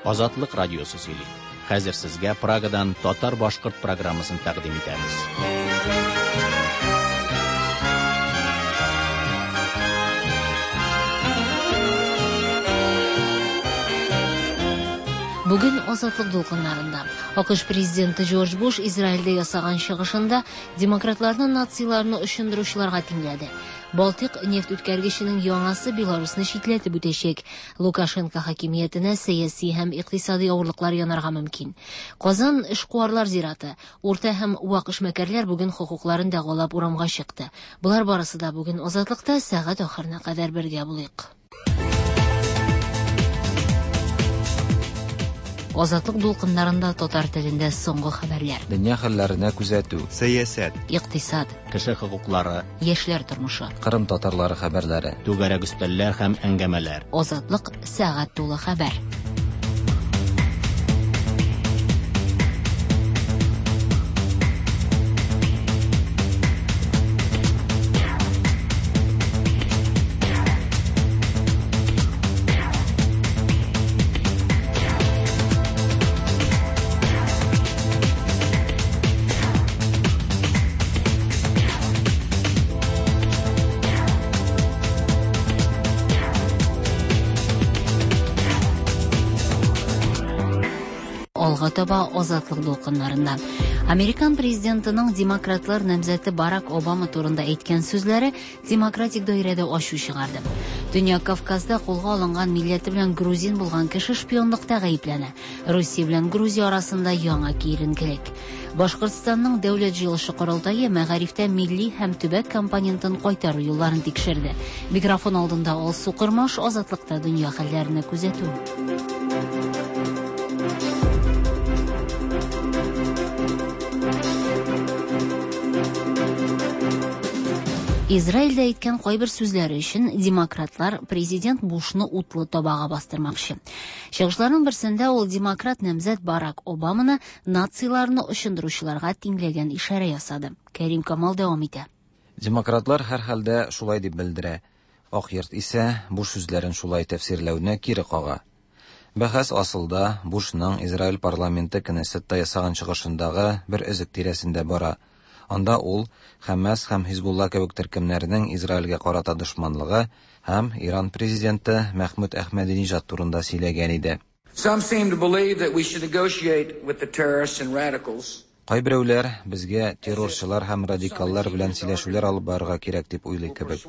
Азатлык радиосы сөйли. Хәзер сезгә Прагадан татар-башкорт программасын тәкъдим итәбез. Бүген Азатлык дулкыннарында АКШ президенты Джордж Буш Израильдә ясаган чыгышында демократларны нациларны очындыручыларга тиңләде. Балтыйк нефть үткәргеченең яңасы Беларусны читләтеп үтәчәк. Лукашенко хакимиятенә сәяси һәм икътисади авырлыклар янарга мөмкин. Казан эшкуарлар зираты. Урта һәм вак эшмәкәрләр бүген хокукларын дәгъвалап урамга чыкты. Болар барысы да бүген Азатлыкта сәгать ахырына кадәр бергә булыйк. Азатлык дулкыннарында татар телендә соңгы хәбәрләр. Дөнья хәлләренә күзәтү. Сәясәт. Икътисад. Кеше хокуклары. Яшьләр тормышы. Кырым татарлары хәбәрләре. Түгәрәк өстәлләр һәм әңгәмәләр. Азатлык сәгать тулы хәбәр. Алга таба Азатлык дулкыннарында. Американ президентының демократлар намзәте Барак Обама турында әйткән сүзләре демократик даирәдә ачу чыгарды. Төньяк Кавказда кулга алынган милләте белән грузин булган кеше шпионлыкта гаепләнә. Русия белән Грузия арасында яңа киеренкелек. Башкортстанның дәүләт җыелышы корылтае мәгарифтә милли һәм төбәк компонентын кайтару юлларын тикшерде. Микрофон алдында Алсу Кормаш, Азатлыкта дөнья хәлләренә күзәтү. Израильдә әйткән кайбер сүзләре өчен демократлар президент Бушны утлы табага бастырмакчы. Чыгышларның берсендә ул демократ намзәт Барак Обаманы нациларны очындыручыларга тиңләгән ишарә ясады. Кәрим Камал дәвам итә. Демократлар һәрхәлдә шулай дип белдерә. Ак йорт исә Буш сүзләрен шулай тәфсирләүне кире кага. Бәхәс асылда Бушның Израиль парламенты Кнессетта ясаган чыгышындагы бер өзек тирәсендә бара. Анда ул Хәмәс һәм Хизбулла кебек төркемнәрнең Израильгә карата дошманлыгы һәм Иран президенты Мәхмүд Әхмәдиниҗад турында сөйләгән иде. Some seem to believe that we should negotiate with the terrorists and radicals. Кайберәүләр безгә террорчылар һәм радикаллар белән сөйләшүләр алып барырга кирәк дип уйлый кебек.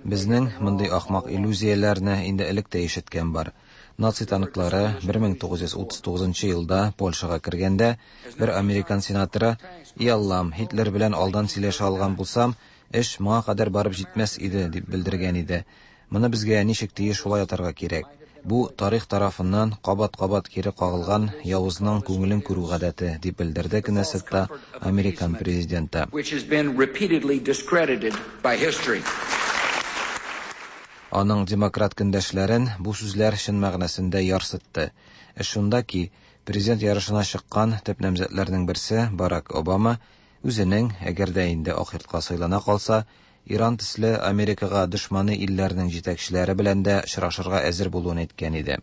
Безнең мондый ахмак иллюзияләрне инде элек тә ишеткән бар. Наци танклары 1939 елда Польшага кергәндә, бер американ сенаторы: "И Аллам, Һитлер белән алдан сөйләшә алган булсам, эш моңа кадәр барып җитмәс иде", дип белдергән иде. Моны безгә ничек тиеш шулай атарга кирәк. Бу тарих тарафыннан кабат-кабат кире кагылган явызның күңелен күрү гадәте, дип белдерде Кнессетта американ президенты. Which has been repeatedly discredited by history. Аның демократ көндәшләрен бу сүзләр чын мәгънәсендә ярсытты. Эш шунда ки, президент ярышына чыккан төп намзәтләрнең берсе Барак Обама үзенең, әгәр дә инде Ак йортка сайлана калса, Иран төсле Америкага дошманы илләрнең җитәкчеләре белән дә очрашырга әзер булуын әйткән иде.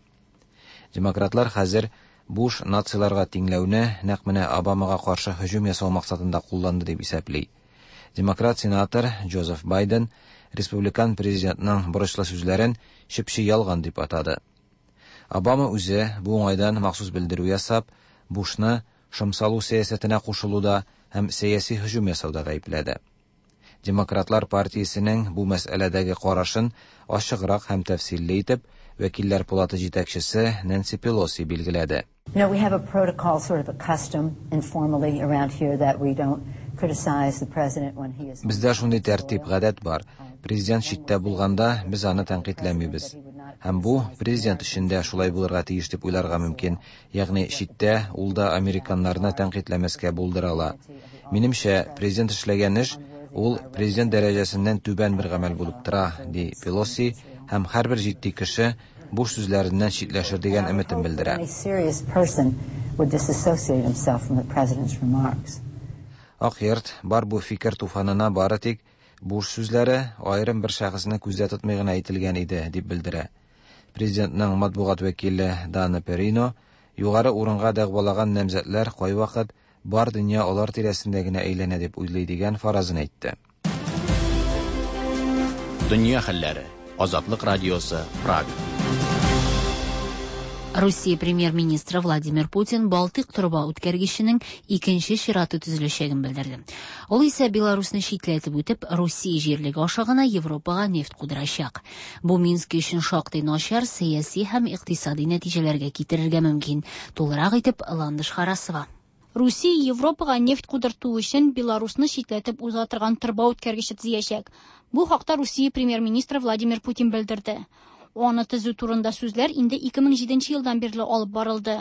Демократлар хәзер Буш нациларга тиңләүне нәкъ менә Обамага каршы һөҗүм ясау максатында кулланды дип исәпли. Демократ сенатор Джозеф Байден республикан президентның бурычлы сүзләрен чеп-чи ялган дип атады. Обама үзе бу уңайдан махсус белдерү ясап, Бушны шом салу сәясәтенә кушылуда һәм сәяси һөҗүм ясауда гаепләде. Демократлар партиясенең бу мәсьәләдәге карашын ачыграк һәм тәфсилле итеп Вәкилләр палаты җитәкчесе Нэнси Пелоси билгеләде. We have a protocol, sort of a custom informally around here that we don't criticize the president when he is. Бездә шундый тәртип, гадәт бар. Президент читтә булганда без аны тәнкыйтьләмибез. Һәм бу президент өчен дә шулай булырга тиеш дип уйларга мөмкин. Ягъни читтә ул да американнарны тәнкыйтьләмәскә булдыра ала. Минемчә, президент эшләгән эш ул президент дәрәҗәсеннән түбән бер гамәл булып тора, ди Пелоси, һәм һәрбер җитди кеше буш сүзләреннән читләшер дигән өметен белдерә. Any serious person would disassociate himself from the president's remarks. Ак йорт бар бу фикер туфанына бары тик буш сүзләре аерым бер шәхесне күздә тотмый гына әйтелгән иде, дип белдерә. Президентның матбугат вәкиле Дана Перино Югары урынга дәгъвалаган намзәтләр кайвакыт бар дөнья алар тирәсендә генә әйләнә дип уйлый дигән фаразын әйтте. Дөнья хәлләре. Азатлык радиосы, Прага. Русия премьер-министры Владимир Путин Балтыйк торба үткәргеченең икенче чираты төзеләчәген белдерде. Ул исә Беларусьны читләтеп үтеп, Русия җирлеге аша гына Европага нефть кудырачак. Бу Минск өчен шактый начар сәяси һәм икътисади нәтиҗәләргә китерергә мөмкин. Тулырак итеп Ландыш Харасова. Русия Европага нефть кудырту өчен Беларусьны читләтеп уза торган торба үткәргече төзиячәк. Бу хакта Русия премьер-министры Владимир Путин белдерде. Аны төзү турында сүзләр инде 2007 елдан бирле алып барылды.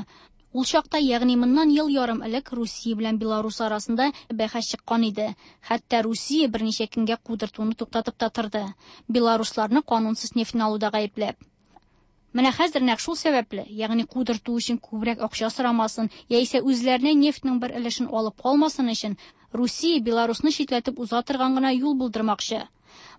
Ул чакта, ягъни моннан ел ярым элек Русия белән Беларусь арасында бәхәс чыккан иде. Хәтта Русия берничә көнгә кудыртуны туктатып та торды. Беларусларны канунсыз нефтьне алуда гаепләп. Менә хәзер нәкъ шул сәбәпле, ягъни кудырту өчен күбрәк акча сорамасын, яисә үзләренә нефтьнең бер өлешен алып калмасын өчен, Русия Беларусьны читләтеп уза торган гына юл булдырмакчы.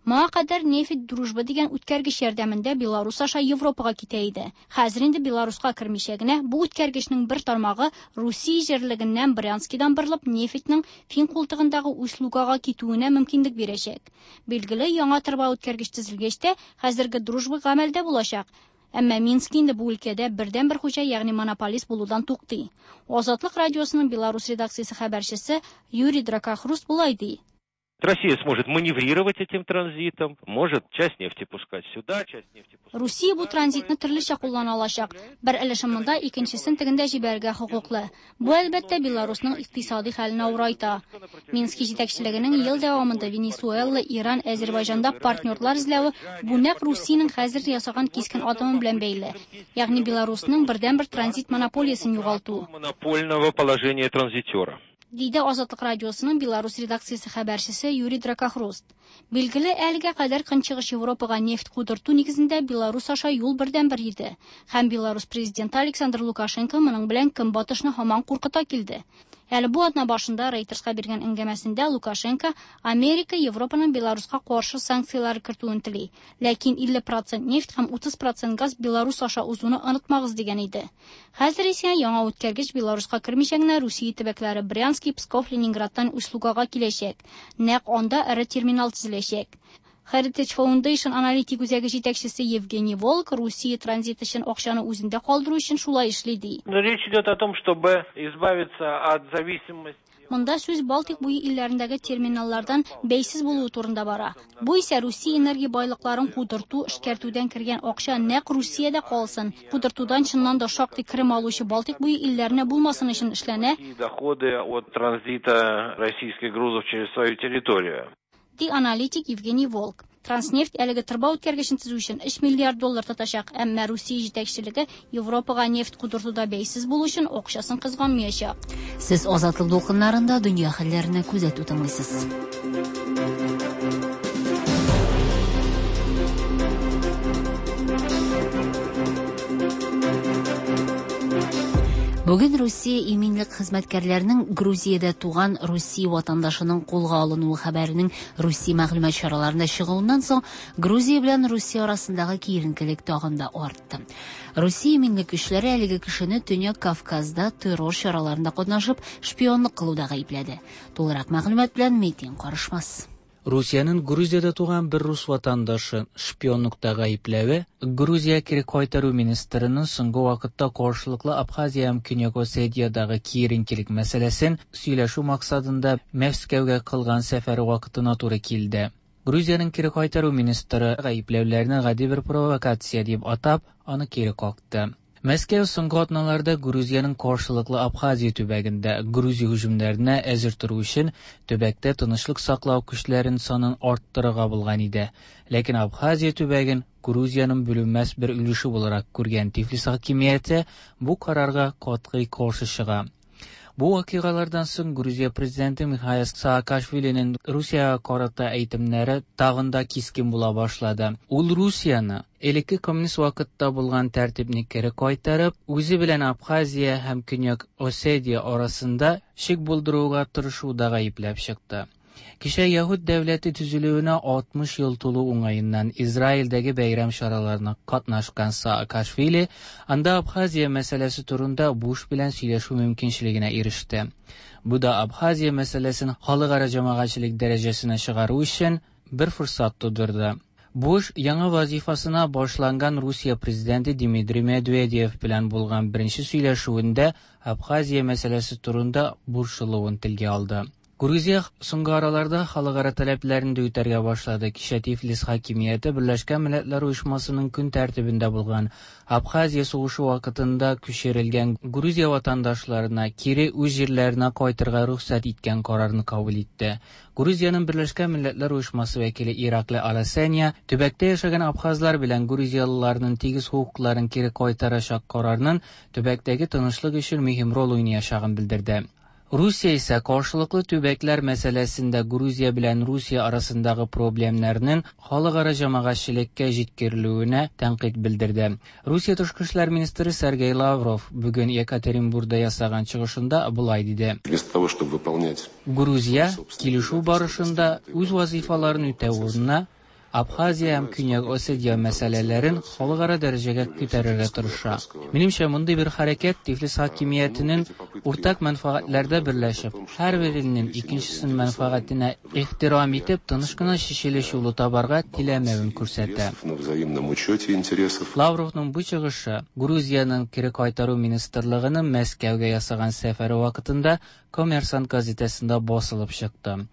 Моңа кадәр нефть Дружба дигән үткәргеч ярдәмендә Беларусь аша Европага китә иде. Хәзер инде Беларуська кермичә генә бу үткәргечнең бер тармагы Русия җирлегеннән Брянскидан борылып нефтьнең Фин култыгындагы Усть-Лугага китүенә мөмкинлек бирәчәк. Билгеле, яңа торба үткәргеч төзелгәч тә, хәзерге Дружба гамәлдә булачак. Әмма Минск инде бу өлкәдә бердәнбер хуҗа, ягъни монополист булудан туктый. Азатлык радиосының Беларусь редакциясе хәбәрчесе Юрий Дракохруст болай ди. Россия сможет маневрировать этим транзитом, может часть нефти пускать сюда, часть нефти пускать. Русия бу транзитны төрлечә куллана алачак. Бер өлешен монда, икенчесен тегендә җибәрергә хокуклы. Бу әлбәттә Беларусьның икътисади хәлен авырайта. Мински җитәкчелегенең ел дәвамында Венесуэла, Иран, Әзербайҗанда партнерлар эзләве бу нәкъ Русиянең хәзер ясаган кискен адымы белән бәйле. Ягъни Беларусьның бердәнбер транзит монополиясен югалту. Монопольного положения транзитера. Диде Азатлык радиосының Беларусь редакциясе хәбәрчесе Юрий Дракохруст. Билгеле, әлегә кадәр Көнчыгыш Европага нефть кудырту нигезендә Беларусь аша юл бердәнбер иде. Һәм Беларусь президенты Александр Лукашенко моның белән Көнбатышны һаман куркыта килде. Әле бу атна башында Рейтерска биргән әңгәмәсендә Лукашенко Америка Европаның Беларуська каршы санкцияләр кертүен тели. Ләкин 50% нефть һәм 30% газ Беларусь аша узуны онытмагыз дигән иде. Хәзер исә яңа үткәргеч Беларуська кермичә генә Русия төбәкләре Брянский, Псков, Ленинградтан Усть-Лугага киләчәк. Нәкъ анда эре терминал төзеләчәк. Heritage Foundation аналитик үзәге җитәкчесе Евгений Волк Русия транзит өчен акчаны үзендә калдыру өчен шулай эшли ди. Но речь идет о том, чтобы избавиться от зависимости. Монда сүз Балтик буе илләрендәге терминаллардан бәйсез булуы турында бара. Бу исә Русия энергия байлыкларын кудырту, эшкәртүдән кергән акча нәкъ Русиядә калсын. Кудыртудан чыннан да шактый керем алучы Балтик буе илләренә булмасын өчен эшләнә. Доходы от транзита российских грузов через свою территорию. Ди аналитик Евгений Волк. Транснефть әлеге торба үткәргечен төзү өчен 3 миллиард доллар тотачак, әмма Русия җитәкчелеге Европага нефть кудыртуда бәйсез булу өчен акчасын кызганмаячак. Сез Азатлык дулкыннарында дөнья хәлләренә күзәтү тыңлыйсыз. Бүген Русия иминлек хезмәткәрләренең Грузиядә туган Русия ватандашының кулга алынуы хәбәренең Русия мәгълүмат чараларында чыгуыннан соң Грузия белән Русия арасындагы киеренкелек тагын да артты. Русия иминлек көчләре әлеге кешене Төньяк Кавказда террор чараларында катнашып шпионлык кылуда гаепләде. Тулырак мәгълүмат белән Метин Карышмас. Русиянең Грузиядә туган бер рус ватандашы шпионлыкта гаепләве Грузия кире кайтару министрының соңгы вакытта каршылыклы Абхазия һәм Көньяк Осетиядагы киеренкелек мәсьәләсен сөйләшү максатында Мәскәүгә кылган сәфәре вакытына туры килде. Грузиянең кире кайтару министры гаепләүләрне гади бер провокация дип атап, аны кире какты. Мәскәү соңгы атналарда Грузиянең каршылыклы Абхазия төбәгендә Грузия һөҗүмнәренә әзер тору өчен төбәктә тынычлык саклау көчләрен санын арттырырга булган иде. Ләкин Абхазия төбәген Грузиянең бүленмәс бер өлеше буларак күргән Тифлис хакимияте бу карарга катгый каршы чыга. Бу вакыйгалардан соң Грузия президенты Михаил Саакашвилинең Русиягә карата әйтемнәре тагын да кискен була башлады. Ул Русияне элекке коммунист вакытта булган тәртипне кире кайтарып, үзе белән Абхазия һәм Көньяк Осетия арасында шик булдыруга тырышуда гаепләп чыкты. Кичә Яһүд дәүләте төзелүенә 60 ел тулу уңаеннан Израильдәге бәйрәм чараларына катнашкан Саакашвили анда Абхазия мәсьәләсе турында Буш белән сөйләшү мөмкинчелегенә иреште. Бу да Абхазия мәсьәләсен халыкара җәмәгатьчелек дәрәҗәсенә чыгару өчен бер форсат тудырды. Буш яңа вазифасына башланган Русия президенты Дмитрий Медведев белән булган беренче сөйләшүендә Абхазия мәсьәләсе турында борчылуын телгә алды. Грузия соңгы араларда халыкара таләпләрен дә үтәргә башлады. Кичә Тифлис хакимияте Берләшкән Милләтләр Оешмасының көн тәртибендә булган Абхазия сугышы вакытында күчерелгән Грузия ватандашларына кире үз җирләренә кайтырга рөхсәт иткән карарны кабул итте. Грузиянең Берләшкән Милләтләр Оешмасы вәкиле Ираклий Аласания төбәктә яшәгән абхазлар белән грузиялыларның тигез хокукларын кире кайтарачак карарның төбәктәге тынычлык өчен мөһим роль уйнаячагын белдерде. Русия исә каршылыклы төбәкләр мәсьәләсендә Грузия белән Русия арасындагы проблемнарның халыкара җәмәгатьчелеккә җиткерелүенә тәнкыйть белдерде. Русия тышкы эшләр министры Сергей Лавров бүген Екатеринбургда ясаган чыгышында болай диде. Вместо того, чтобы выполнять Грузия килешү барышында үз вазифаларын үтәү урынына Абхазия һәм Көньяк Осетия мәсьәләләрен халыкара дәрәҗәгә күтәрергә тырыша. Минемчә, мондый бер хәрәкәт Тифлис хакимиятенең уртак мәнфәгатьләрдә берләшеп, һәрбер илнең икенчесенең мәнфәгатенә ихтирам итеп, тыныч кына чишелеш юлы табарга теләмәвен күрсәтә. на взаимном учете интересов. Лавровның бу чыгышы Грузиянең кире кайтару министрлыгының Мәскәүгә ясаган сәфәре вакытында Коммерсант газетасында басылып чыкты.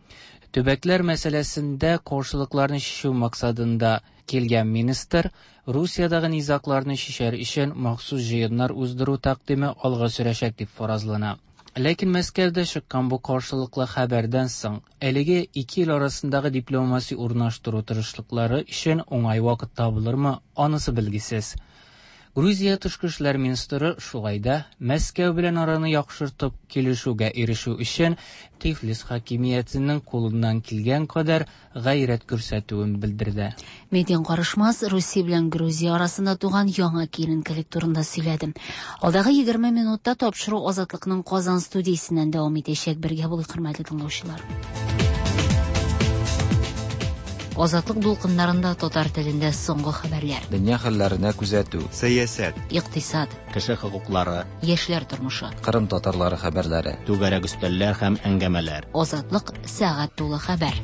Төбәкләр мәсьәләсендә каршылыкларны чишү максатында килгән министр Русиядәге низагларны чишәр өчен махсус җыеннар уздыру тәкъдиме алга сөрәчәк дип фаразлана. Ләкин Мәскәүдә чыккан бу каршылыклы хәбәрдән соң әлеге ике ил арасындагы дипломатия урнаштыру тырышлыклары өчен уңай вакыт табылырмы, анысы билгесез. Грузия тышкы эшләр министры шулай да Мәскәү белән араны яхшыртып килешүгә ирешү өчен Тифлис хакимиятенең кулыннан килгән кадәр гайрәт күрсәтүен белдерде. Медин Карышмас Русия белән Грузия арасында туган яңа киеренкелек турында сөйләде. Алдагы 20 минутта тапшыру Азатлыкның Казан студиясеннән дәвам итәчәк. Бергә булыйк, хөрмәтле тыңлаучылар. Азатлык дулкыннарында татар телендә соңгы хәбәрләр. Дөнья хәлләренә күзәтү. Сәясәт. Икътисад. Кеше хокуклары. Яшьләр тормышы. Кырым татарлары хәбәрләре. Түгәрәк өстәлләр һәм әңгәмәләр. Азатлык сәгать тулы хәбәр.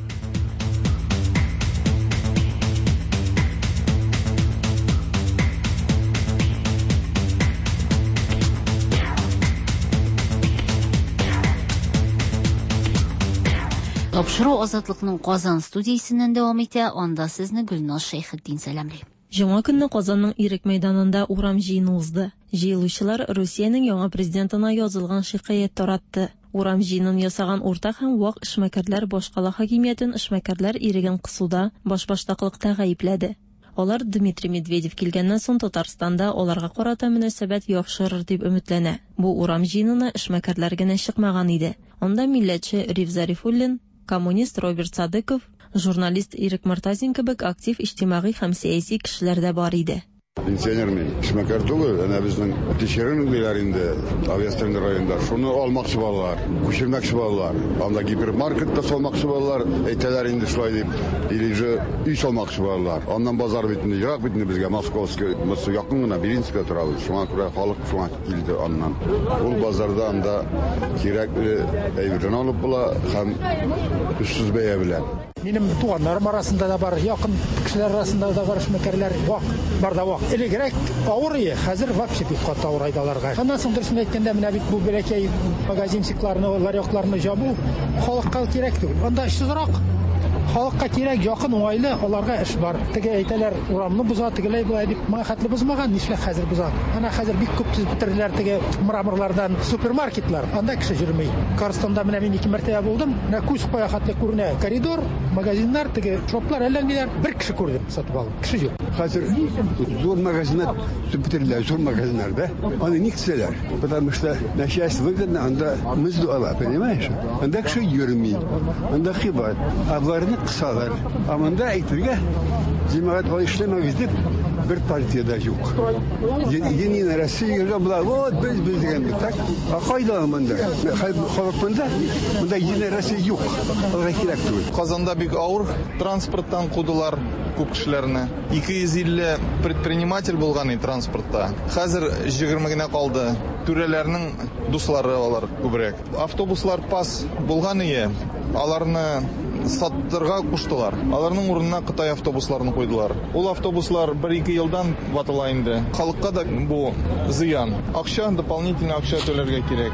Тапшыру Азатлыкның Казан студиясеннән дәвам итә. Анда сезне Гөлназ Шәйхетдин сәламли. Җомга көнне Казанның Ирек мәйданында урам җыены узды. Җыелучылар Русиянең яңа президентына язылган шикаять таратты. Урам җыенын ясаган уртак һәм вак эшмәкәрләр башкала хакимиятен эшмәкәрләр иреген кысуда, башбаштаклыкта гаепләде. Алар Дмитрий Медведев килгәннән соң Татарстанда аларга карата мөнәсәбәт яхшырыр дип өметләнә. Бу урам җыенына эшмәкәрләр генә чыкмаган иде. Анда милләтче Риф Зарифуллин, коммунист Роберт Садыков, журналист Ирек Мортазин кебек актив иҗтимагый һәм сәяси кешеләр дә бар иде. Пенсионер мин, эшмәкәр түгел, әнә безнең тишерен диләр инде, Авиастройлар районында. Шуны алмакчы булалар, күчермәкче булалар. Анда гипермаркет та салмакчы булалар, әйтәләр инде шулай дип, или же өй салмакчы булалар. Аннан базар бит инде, ерак бит инде безгә, Московский, Москва якын гына, Белинская торабыз. Шуңа күрә халык шуңа килде аннан. Ул базарда анда кирәкле әйберне алып була һәм өчсез бәя белән. Минем туганнарым арасында да бар, якын кешеләр арасында да бар эшмәкәрләр, вак, бар да вак. Элегрәк авыр иде, хәзер вообще бик каты авыр аларга. Аннан соң дөресен әйткәндә, менә бит бу бәләкәй магазинчикларны, ларёкларны җабу халыкка кирәк түгел. Анда эшсезрак. Халыкка кирәк, якын, уңайлы, аларга эш бар. Теге әйтәләр, урамны боза, тегеләй болай дип, моңа хәтле бозмаган, нишләп хәзер боза? Ана хәзер бик күп төзеп бетерделәр теге мраморлардан супермаркетлар. Анда кеше йөрми. Карстонда менә мин 2 мәртәбә булдым. Менә күз кая хәтле күренә коридор, магазиннар, теге шоплар, әллә ниләр. Бер кеше күрдем сатып алып. Кеше юк. Хәзер зур магазиннар төзеп бетерделәр, зур магазиннар, да? Аны ник төзәләр? Потому что начальство выгодно, анда мызду ала, понимаешь? Анда кеше йөрми, анда кыйбат. Ә боларны кысалар. Ә монда әйтергә, җәмәгать алай эшләмәгез дип, Бер партия дә юк. Единая Россия була, вот без без дигән бит, так? А кайда монда? Халык монда? Монда Единая Россия юк. Аларга кирәк түгел. Казанда бик авыр транспорттан кудылар күп кешеләрне. 250 предприниматель булган и транспортта. Хәзер 20 генә калды. Түрәләрнең дуслары алар күбрәк. Автобуслар пас булган ие, аларны саттырга куштылар. Аларның урынына Кытай автобусларын куйдылар. Ул автобуслар 1-2 елдан ватыла инде. Халыкка да бу зыян. Акча, дополнительно акча түләргә кирәк.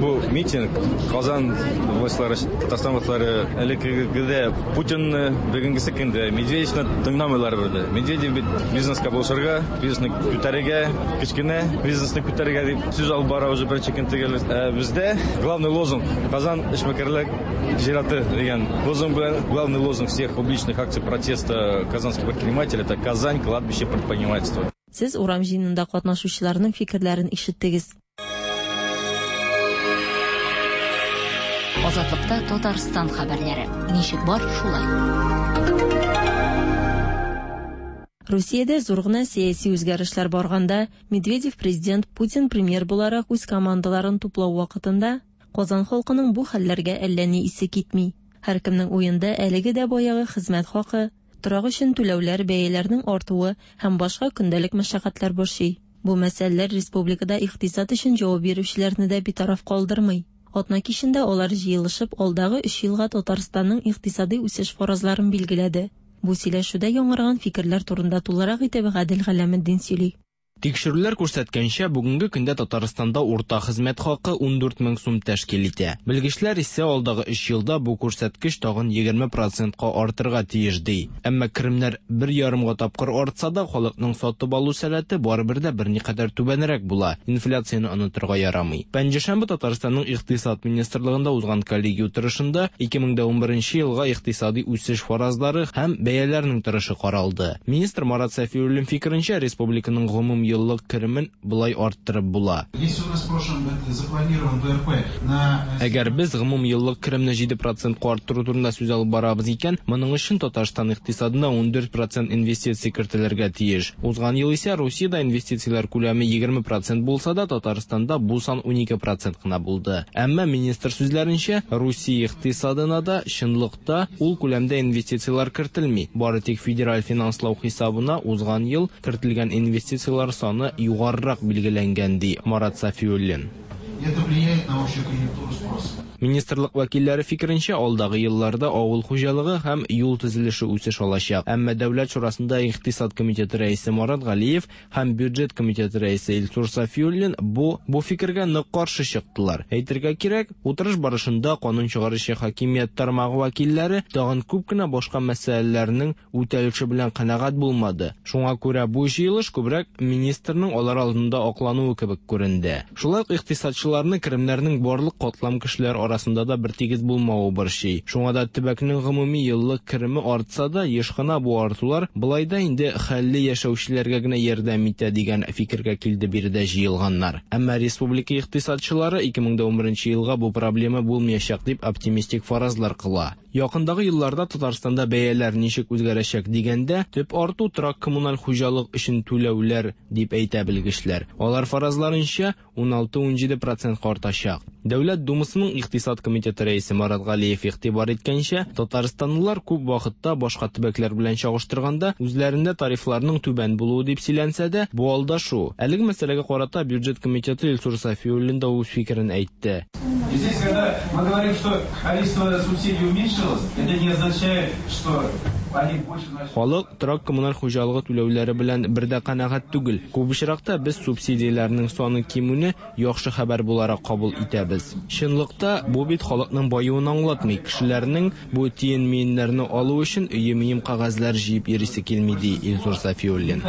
Бу митинг Казан властьлары, Татарстан властьлары элеккегедә Путинны, бүгенгесе көндә Медведевны тыңламыйлар бирде. Медведев бит бизнеска булышырга, бизнесны күтәрергә, кечкенә бизнесны күтәрергә дип сүз алып бара уже беренче көн төгәл. Бездә главный лозунг Казан эшмәкәрләр зираты дигән лозунг белән главный лозунг всех публичных акций протеста казанских предпринимателей это Казань кладбище предпринимательства. Сез урам җыенында катнашучыларның фикерләрен ишеттегез. Азатлыкта Татарстан хәбәрләре. Ничек бар, шулай. Русиядә зур гына сәяси үзгәрешләр барганда, Медведев президент, Путин премьер буларак үз командаларын туплау вакытында Казан халкының бу хәлләргә әллә ни исе китми. Һәркемнең уенда әлеге дә баягы хезмәт хакы, торак өчен түләүләр, бәяләрнең артуы һәм башка көндәлек мәшәкатьләр борчый. Бу мәсьәләләр республикада икътисад өчен җавап бирүчеләрне дә битараф калдырмый. Атна кичендә алар җыелышып алдагы 3 елга Татарстанның икътисади үсеш фаразларын билгеләде. Бу сөйләшүдә яңарган фикерләр турында тулырак итеп Гадел Галәметдин сөйли. Тикшерүләр күрсәткәнчә, бүгенге көндә Татарстанда урта хезмәт хакы 14 мең сум тәшкил итә. Белгечләр исә алдагы 3 елда бу күрсәткеч тагын 20%ка артырга тиеш ди. Әмма керемнәр 1,5 тапкыр артса да, халыкның сатып алу сәләте барыбер дә берникадәр түбәнрәк була. Инфляцияне онытырга ярамый. Пәнҗешәмбе Татарстанның икътисад министрлыгында узган коллегия утырышында 2011 елга икътисади үсеш фаразлары һәм бәяләрнең торышы каралды. Министр Марат Сафиуллин фикеренчә, республиканың гомум еллык керемен болай арттырып була. Әгәр без гомум еллык керемне 7%ка арттыру турында сүз алып барабыз икән, моның өчен Татарстан икътисадына 14% инвестиция кертелергә тиеш. Узган ел исә Русиядә инвестицияләр күләме 20% булса да, Татарстанда бу сан 12% кына булды. Әмма министр сүзләренчә, Русия икътисадына да чынлыкта ул күләмдә инвестицияләр кертелми. Бары тик федераль финанслау хисабына узган ел кертелгән инвестицияләр саны югарырак билгеләнгән, ди Марат Сафиуллин. Это влияет на общую конъюнктуру спроса. Министрлык вәкилләре фикеренчә, алдагы елларда авыл хуҗалыгы һәм юл төзелеше үсеш алачак. Әмма Дәүләт шурасында икътисад комитеты рәисе Марат Галиев һәм бюджет комитеты рәисе Илсур Сафиуллин бу фикергә нык каршы чыктылар. Әйтергә кирәк, утырыш барышында канун чыгаручы хакимият тармагы вәкилләре тагын күп кенә башка мәсьәләләрнең үтәлеше белән канәгать булмады. Шуңа күрә бу җыелыш күбрәк министрның алар алдында аклануы кебек күренде. Шулай ук икътисадчыларны керемнәрнең барлык катлам кешеләр арасында да бер тигез булмавы борчый. Шуңа да төбәкнең гомуми еллык кереме артса да, еш кына бу артулар былай да инде хәлле яшәүчеләргә генә ярдәм итә дигән фикергә килде биредә җыелганнар. Әмма республика икътисадчылары 2011 елга бу проблема булмаячак дип оптимистик фаразлар кыла. Якындагы елларда Татарстанда бәяләр ничек үзгәрәчәк дигәндә, төп арту торак коммуналь хуҗалык өчен түләүләр дип әйтә белгечләр. Алар фаразларынча 16-17% артачак. Дәүләт Думасының икътисад комитеты рәисе Марат Галиев игътибар иткәнчә, татарстанлылар күп вакытта башка төбәкләр белән чагыштырганда үзләрендә тарифларның түбән булуы дип сөйләнсә дә, бу алдашу. Әлеге мәсьәләгә карата бюджет комитеты Илсур Сафиуллин да үз фикерен әйтте. И здесь, когда мы говорим, что количество субсидий уменьшилось, это не означает, что они больше начали. Халык торак коммуналь хуҗалыгы түләүләре белән бер дә канәгать түгел. Күп очракта без субсидияләрнең саны кимүне яхшы хәбәр буларак кабул итәбез. Чынлыкта бу бит халыкның баюын аңлатмый. Кешеләрнең бу тиен-миеннәрне алу өчен өе-мием кәгазьләр җыеп йөрисе килми, ди Илсур Сафиуллин.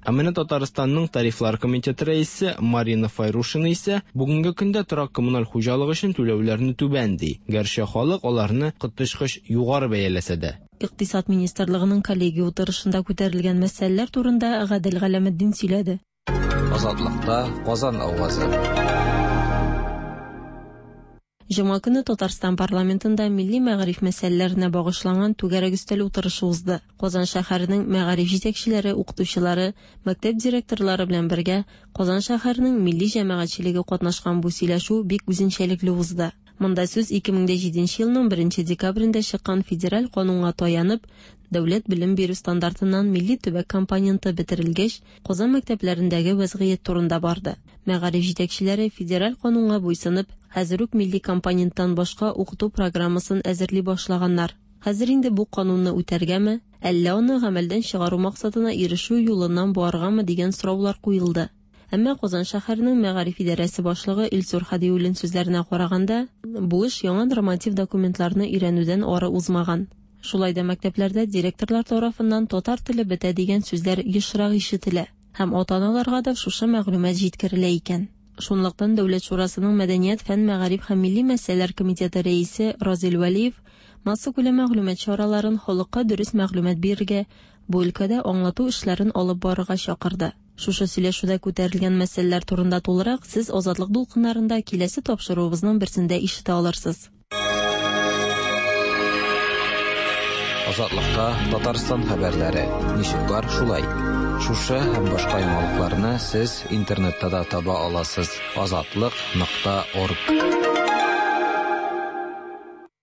Ә менә Татарстанның тарифлар комитеты рәисе Марина Файрушина исә бүгенге көндә торак коммуналь хуҗалык өчен түләүләрне түбән ди. Гәрчә халык аларны коточкыч югары бәяләсә дә. Икътисад министрлыгының коллегия утырышында күтәрелгән мәсьәләләр турында Гадел Галәметдин сөйләде. Азатлыкта Казан авазы. Җомга көнне Татарстан парламентында милли мәгариф мәсьәләләренә багышланган түгәрәк өстәл утырышы узды. Казан шәһәренең мәгариф җитәкчеләре, укытучылары, мәктәп директорлары белән бергә Казан шәһәренең милли җәмәгатьчелеге катнашкан бу сөйләшү бик үзенчәлекле узды. Монда сүз 2007 елның 1 декабрендә чыккан федераль канунга таянып, дәүләт белем бирү стандартыннан милли төбәк компоненты бетерелгәч, Казан мәктәпләрендәге вәзгыять турында барды. Мәгариф җитәкчеләре федераль канунга буйсынып, хәзер үк милли компоненттан башка укыту программасын әзерли башлаганнар. Хәзер инде бу канунны үтәргәме, әллә аны гамәлдән чыгару максатына ирешү юлыннан барыргамы дигән сораулар куелды. Әмма Казан шәһәренең мәгариф идарәсе башлыгы Илсур Һадиуллин сүзләренә караганда, бу эш яңа норматив документларны өйрәнүдән ары узмаган. Шулай да мәктәпләрдә директорлар тарафыннан татар теле бетә дигән сүзләр ешрак ишетелә һәм ата-аналарга да шушы мәгълүмат җиткерелә икән. Шунлыктан Дәүләт шурасының Мәдәният, фән, мәгариф һәм милли мәсьәләләр комитеты рәисе Разил Вәлиев массакүләм мәгълүмат чараларын халыкка дөрес мәгълүмат бирергә, бу өлкәдә аңлату эшләрен алып барырга чакырды. Шушы сөйләшүдә күтәрелгән мәсьәләләр турында тулырак сез Азатлык дулкыннарында киләсе тапшыруыбызның берсендә ишетә алырсыз. Азатлыкта Татарстан хәбәрләре ничек бар шулай. Шушы һәм башка яңалыкларны сез интернетта да таба аласыз. Азатлык.орг.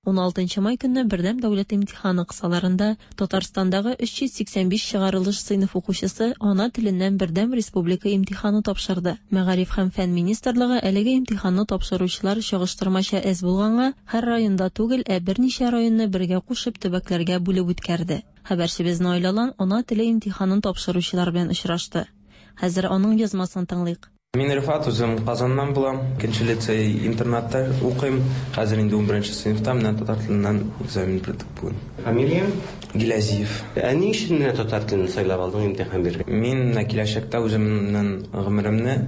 16 май көнне бердәм дәүләт имтиханы кысаларында Татарстандагы 385 чыгарылыш сыйныф укучысы ана теленнән бердәм республика имтиханы тапшырды. Мәгариф һәм фән министрлыгы әлеге имтиханны тапшыручылар чагыштырмача әз булганга, һәр районда түгел, ә берничә районны бергә кушып төбәкләргә бүлеп үткәрде. Хәбәрчебез Наил Алан ана теле имтиханын тапшыручылар белән очрашты. Хәзер аның язмасын тыңлыйк. Мин Рифат, үзем Казаннан булам. Икенче лицей интернатта укыйм. Хәзер инде 11 сыйныфта, менә татар теленнән экзамен бирдек бүген. Фамилияң? Гиләзиев. Ә ни өчен менә татар телен сайлап алдың имтихан бирергә? Мин менә киләчәктә үземнең гомеремне,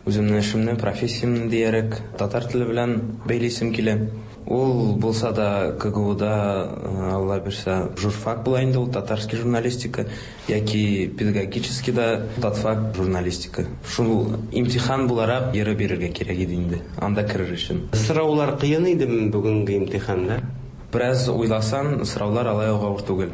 үземнең эшемне, профессиямне диярек татар теле белән бәйлисем килә. Ул булса да КГУда, Алла бирсә, журфак була инде ул, татарский журналистика, яки педагогический да татфак журналистика. Шул имтихан буларак йөреп бирергә кирәк иде инде, анда керер өчен. Сораулар кыен идеме бүгенге имтиханда? Бераз уйласаң, сораулар алай ук авыр түгел.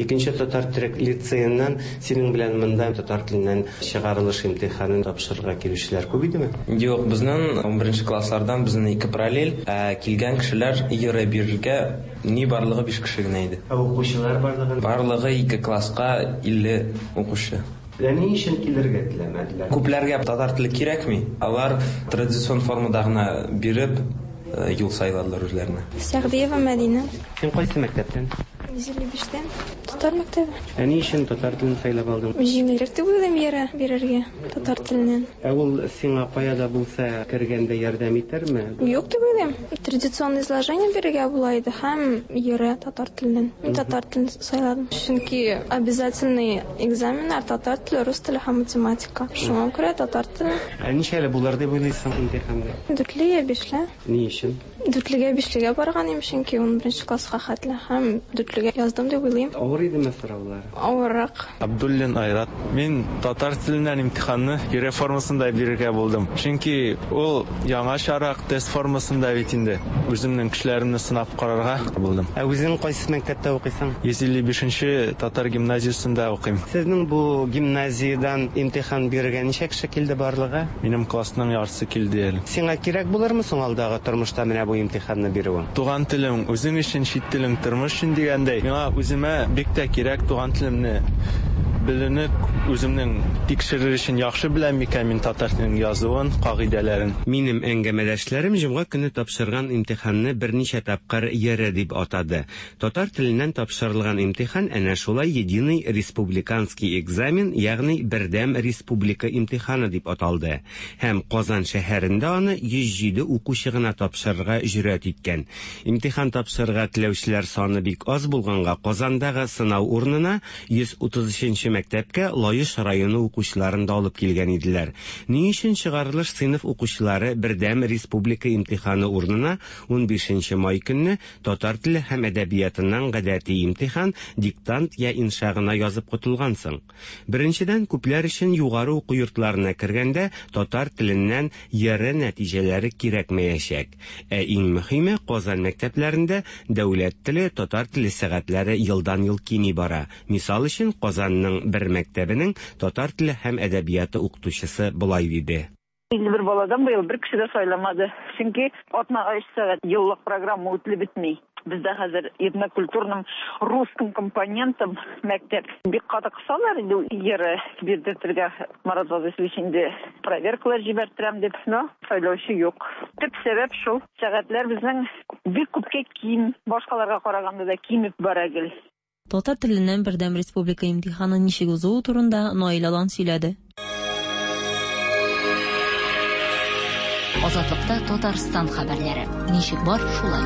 Икенче татар төрек лицееннан синең белән монда татар теленнән чыгарылыш имтиханын тапшырырга килүчеләр күп идеме? Юк, безнең 11 класслардан безнең ике параллель, ә килгән кешеләр йөреп бирергә ни барлыгы 5 кеше генә иде. Ә укучылар барлыгы? Барлыгы ике класска 50 укучы. Ә ни өчен килергә теләмәделәр? Күпләргә татар теле кирәкми, алар традицион формада гына биреп юл сайладылар үзләренә. Сәгъдиева Мәдинә. Син кайсы мәктәптән? 155-тән. Татар мәктәбе. Ә ни өчен татар телен сайлап алдың? Җиңелрәк дип уйлыйм йөрә бирергә татар теленнән. Ә ул сиңа кая да булса кергәндә ярдәм итәрме? Юк дип уйлыйм. Традиционное изложение бирергә була иде һәм йөрә татар теленнән. Мин татар телен сайладым. Чөнки обязательный экзаменнар татар теле, рус теле һәм математика. Шуңа күрә татар теле. Ә ничәле булыр дип уйлыйсың имтиханда? Дүртле я бишле. Ни өчен? Дүртлегә, бишлегә барган идем, чөнки 11 класска хәтле һәм дүртлегә яздым дип уйлыйм. Авыр идеме сораулар? Авыррак. Абдуллин Айрат. Мин татар теленнән имтиханны ЕРЭ формасында бирергә булдым. Чөнки ул яңачарак тест формасында бит инде. Үземнең көчләремне сынап карарга булдым. Ә үзең кайсы мәктәптә укыйсың? 155 нче татар гимназиясендә укыйм. Сезнең бу гимназиядән имтихан бирергә ничә кеше килде барлыгы? Минем классның яртысы килде әле. Сиңа кирәк булырмы соң алдагы тормышта менә бу имтиханны бирүең? Туган телең үзең өчен, чит телең тормыш өчен дигәндәй, миңа үземә бик тә кирәк туган телемне белүне үземнең тикшерер өчен яхшы беләм микән мин татар теленең язуын, кагыйдәләрен. Минем әңгәмәдәшләрем җомга көнне тапшырган имтиханны берничә тапкыр ЕРЭ дип атады. Татар теленнән тапшырылган имтихан әнә шулай Единый республиканский экзамен, ягъни Бердәм республика имтиханы дип аталды. Һәм Казан шәһәрендә аны 107 укучы гына тапшырырга җөрьәт иткән. Имтихан тапшырырга теләүчеләр саны бик аз булганга, Казандагы сынау урынына 133 мәктәпкә Лаеш районы укучыларын да алып килгән иделәр. Ни өчен чыгарылыш сыйныф укучылары бердәм республика имтиханы урынына 15 май көнне татар теле һәм әдәбиятыннан гадәти имтихан, диктант я инша гына язып котылган соң? Беренчедән, күпләр өчен югары уку йортларына кергәндә татар теленнән ЕРЭ нәтиҗәләре кирәкмәячәк. Ә иң мөһиме, Казан мәктәпләрендә дәүләт теле, татар теле сәгатьләре елдан-ел кими бара. Мисал өчен, Казанның бер мәктәбенең татар теле һәм әдәбияты укытучысы болай диде. 51 баладан быел бер кеше дә сайламады. Чөнки атнага өч сәгать еллык программа үтелеп бетми. Бездә хәзер этнокультурным русским компонентом мәктәп. Бик каты кысалар инде ЕРЭ бирдертергә. Марат Вазыйхович инде проверкалар җибәрттерәм дип, но сайлаучы юк. Төп сәбәп шул, сәгатьләр безнең бик күпкә ким, башкаларга караганда да кимеп бара гел. Татар теленнән бердәм республика имтиханы ничек узуы турында Наил Алан сөйләде. Азатлыкта Татарстан хәбәрләре. Ничек бар, шулай.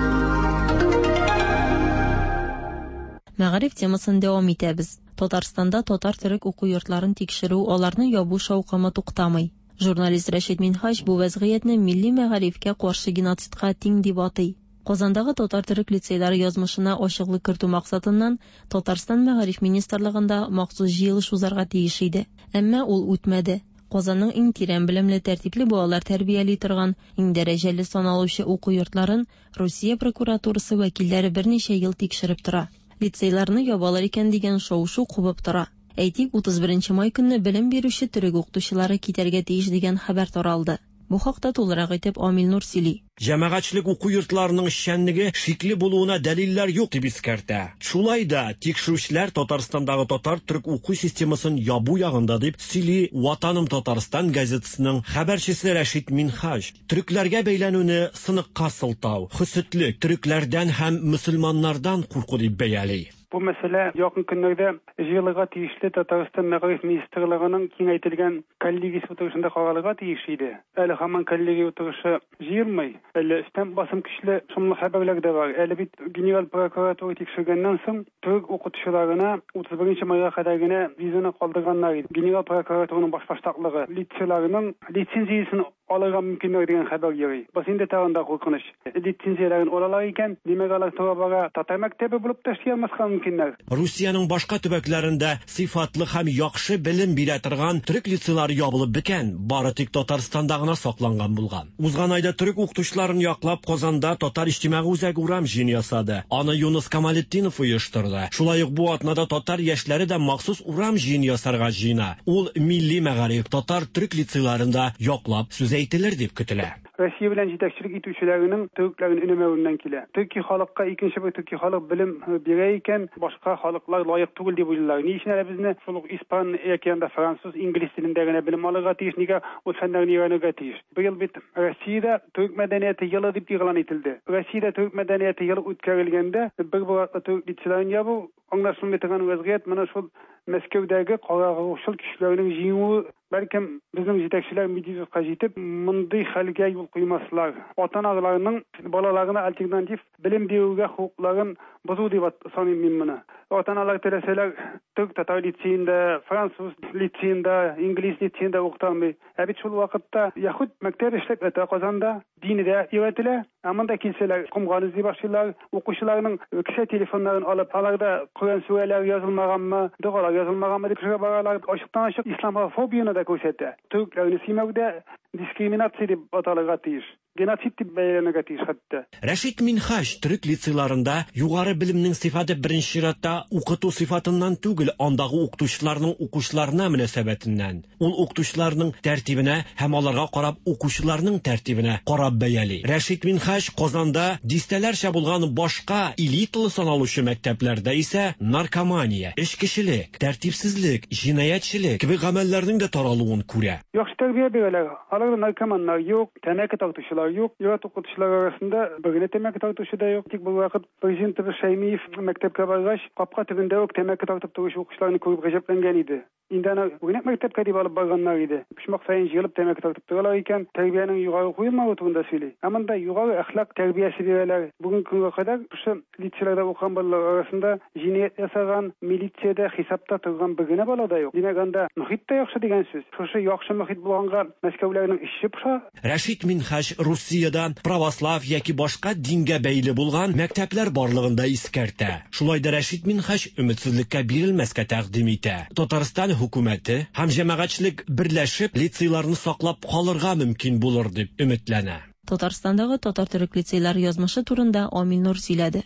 Мәгариф темасын дәвам итәбез. Татарстанда татар-төрек уку йортларын тикшерү, аларны ябу шаукымы туктамый. Журналист Рәшит Минһаҗ бу вәзгыятьне милли мәгарифкә каршы геноцидка тиң дип атый. Казандагы татар-төрек лицейлары язмышына ачыклык кертү максатыннан Татарстан мәгариф министрлыгында махсус җыелыш узарга тиеш иде. Әмма ул үтмәде. Казанның иң тирән белемле, тәртипле балалар тәрбияли торган, иң дәрәҗәле саналучы уку йортларын Русия прокуратурасы вәкилләре берничә ел тикшереп тора. Лицейларны ябалар икән дигән шау-шу кубып тора. Әйтик, 31 май көнне белем бирүче төрек укытучылары китәргә тиеш дигән хәбәр таралды. Бу хакта тулырак итеп Амил Нур сөйли. Җәмәгатьчелек уку йортларының эшчәнлеге шикле булуына дәлилләр юк дип искәртә. Шулай да тикшерүчеләр Татарстандагы татар-төрек уку системасын ябу ягында дип сөйли Ватаным Татарстан газетасының хәбәрчесе Рәшит Минһаҗ. Төрекләргә бәйләнүне сыныкка сылтау, хөсетлек, төрекләрдән һәм мөселманнардан курку дип бәяли. Бу мәсьәлә якын көннәрдә җыелырга тиешле Татарстан Мәгариф министрлыгының киңәйтелгән коллегиясе утырышында каралырга тиеш иде. Әле һаман коллегия утырышы җыелмый. Әле өстән басым көчле шомлы хәбәрләр дә бар. Әле бит Генераль прокуратура тикшергәннән соң төрек укытучыларына 31 майга кадәр генә визаны калдырганнар иде. Генераль прокуратураның башбаштаклыгы лицейларның лицензиясен алырга мөмкиннәр дигән хәбәр йөри. Бусы инде тагын да куркыныч. Лицензияләрен алалар икән, димәк, алар тора-бара татар мәктәбе булып та эшли алмаска мөмкиннәр. Русиянең башка төбәкләрендә сыйфатлы һәм яхшы белем бирә торган төрек лицейлары ябылып беткән, бары тик Татарстанда гына сакланган булган. Узган айда төрек укытучыларын яклап Казанда Татар иҗтимагый үзәге урам җыены ясады. Аны Юныс Камалетдинов оештырды. Шулай ук бу атнада татар яшьләре дә махсус урам җыены ясарга җыена. Ул милли мәгариф, татар-төрек лицейларында яклап сүз әйтелер дип көтелә. Россия белән җитәкчелек итүчеләренең төрекләрен өнәмәвеннән килә. Төрки халыкка икенче бер төрки халык белем бирә икән, башка халыклар лаек түгел дип уйлыйлар. Ни өчен әле безне шул ук испан яки анда француз, инглиз телендә генә белем алырга тиеш, нигә ул фәннәрне өйрәнергә тиеш? Быел бит Россиядә төрек мәдәнияте елы дип игълан ителде. Россиядә төрек мәдәнияте елы үткәрелгәндә бер бер артлы төрек лицейларын ябу, Аңлашылмый торган вәзгыять менә шул Мәскәүдәге карагруһчыл көчләрнең җиңүе. Бәлкем, безнең җитәкчеләр Медведевка җитеп, мондый хәлгә юл куймаслар. Ата-аналарның балаларына альтернатив белем бирүгә хокукларын бозу дип саныйм мин моны. Ата-аналар теләсәләр, төрек-татар лицеенда, француз лицеенда, инглиз лицеенда укыта алмый. Ә бит шул вакытта яһүд мәктәбе эшләп ята Казанда, дине дә өйрәтелә. Ә монда килсәләр, комган эзли башлыйлар. Укучыларның кесә телефоннарын алып, аларда Коръән сүрәләре язылмаганмы, догалар язылмаганмы дип сорап баралар. Ачыктан-ачык исламофобияне дә күрсәтә. Төрекләрне сөймәү дә дискриминация дип аталырга тиеш. Геноцид дип бәяләнергә тиеш хәтта. Рәшит Минһаҗ төрек лицейларында югары белемнең сыйфаты беренче чиратта укыту сыйфатыннан түгел, андагы укытучыларның укучыларына мөнәсәбәтеннән, ул укытучыларның тәртибенә һәм аларга карап укучыларның тәртибенә карап бәяли. Рәшит Минһаҗ Казанда дистәләрчә булган башка элиталы саналучы мәктәпләрдә исә наркомания, эчкечелек, тәртипсезлек, җинаятьчелек кебек гамәлләрнең дә таралуын күрә. Яхшы тәрбия бирәләр. Аларда наркоманнар юк, тәмәке тартучылар балалар юк. Ир-ат укытучылар арасында бер генә тәмәке тартучы да юк. Тик бервакыт президентыбыз Шәймиев мәктәпкә баргач, капка төбендә үк тәмәке тартып торучы укучыларны күреп гаҗәпләнгән иде. Инде аны үрнәк мәктәпкә дип алып барганнар иде. Почмак саен җыелып тәмәке тартып торалар икән, тәрбиянең югары куелмавы турында сөйли. Ә монда югары әхлак тәрбиясе бирәләр. Бүгенге көнгә кадәр шушы лицейларда укыган балалар арасында җинаять ясаган, милициядә хисапта торган бер генә бала да юк. Димәк, анда мохит тә яхшы дигән сүз. Шушы яхшы мохит булганга Мәскәүләрнең эче поша. Рәшит Минһаҗ Русиядә православ яки башка дингә бәйле булган мәктәпләр барлыгын да искәртә. Шулай да Рәшит Минһаҗ өметсезлеккә бирелмәскә тәкъдим итә. Татарстан хөкүмәте һәм җәмәгатьчелек берләшеп лицейларны саклап калырга мөмкин булыр дип өметләнә. Татарстандагы татар-төрек лицейлары язмышы турында Амил Нур сөйләде.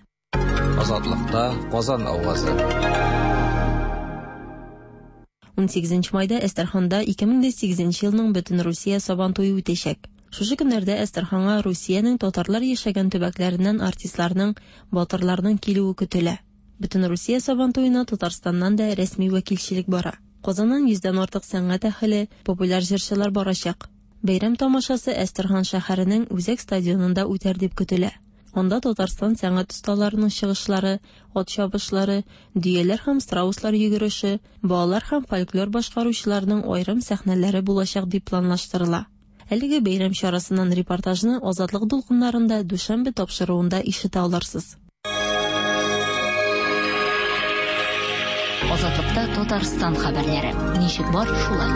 Азатлыкта Казан авазы. 18 майда Әстерханда 2008 елның Бөтенрусия Сабантуе үтәчәк. Шушы көннәрдә Әстерханга Русиянең татарлар яшәгән төбәкләреннән артистларның, батырларның килүе көтелә. Бөтенрусия Сабантуена Татарстаннан да рәсми вәкилчелек бара. Казаннан йөздән артык сәнгать әһеле, популяр җырчылар барачак. Бәйрәм тамашасы Әстерхан шәһәренең үзәк стадионында үтәр дип көтелә. Анда Татарстан сәнгать осталарының чыгышлары, ат чабышлары, дөяләр һәм страуслар йөгереше, балалар һәм фольклор башкаручыларның аерым сәхнәләре булачак дип планлаштырыла. Әлеге бәйрәм чарасыннан репортажны Азатлык дулкыннарында дүшәмбе тапшыруында ишетә алырсыз. Азатлыкта Татарстан хәбәрләре. Ничек бар, шулай.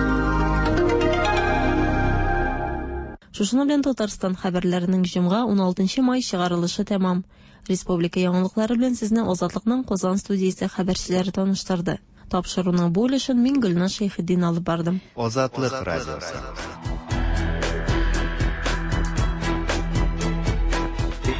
Шушының белән Татарстан хәбәрләренең җомга 16 май чыгарылышы тәмам. Республика яңалыклары белән сезне Азатлыкның Казан студиясе хәбәрчеләре таныштырды. Тапшыруның бу өлешен мин Гөлназ Шәйхетдин алып бардым. Азатлык радиосы.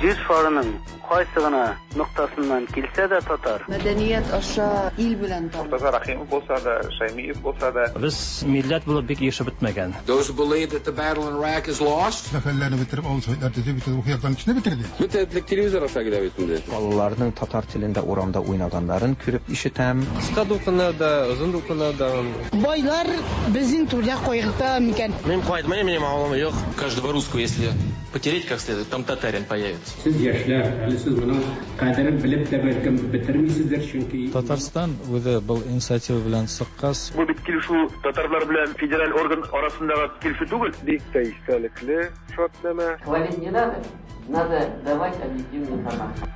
Җир шарының кайсы гына ноктасыннан килсә дә татар. Мәдәният аша ил белән таныш. Мортаза Рәхимов булса да, Шәймиев булса да. Без милләт булып бик ирешеп бетмәгән. Those who believe that the battle in Iraq is lost. Сәфәрләрне бетереп, авыл советлар төзеп, бөтен рухи яктан кешене бетерде. Бөтен телевизор аша килә бит инде. Балаларның татар телендә урамда уйнаганнарын күреп ишетәм. Кыска дулкыннар да, озын дулкыннар да. Байлар безнең турыда кайгырта микән? Мин кайтмыйм, минем авылым юк. Каждого русского, если потереть как следует, там татарин появится. Сез яшьләр, әле сез моның кадерен белеп тә бәлкем бетермисездер, чөнки Татарстан үзе был инициатива белән чыккач, Бу бит килешү татарлар белән федераль орган арасындагы килешү түгел. Бик тә истәлекле шартнамә. Хвалить не надо, надо давать объективную информацию.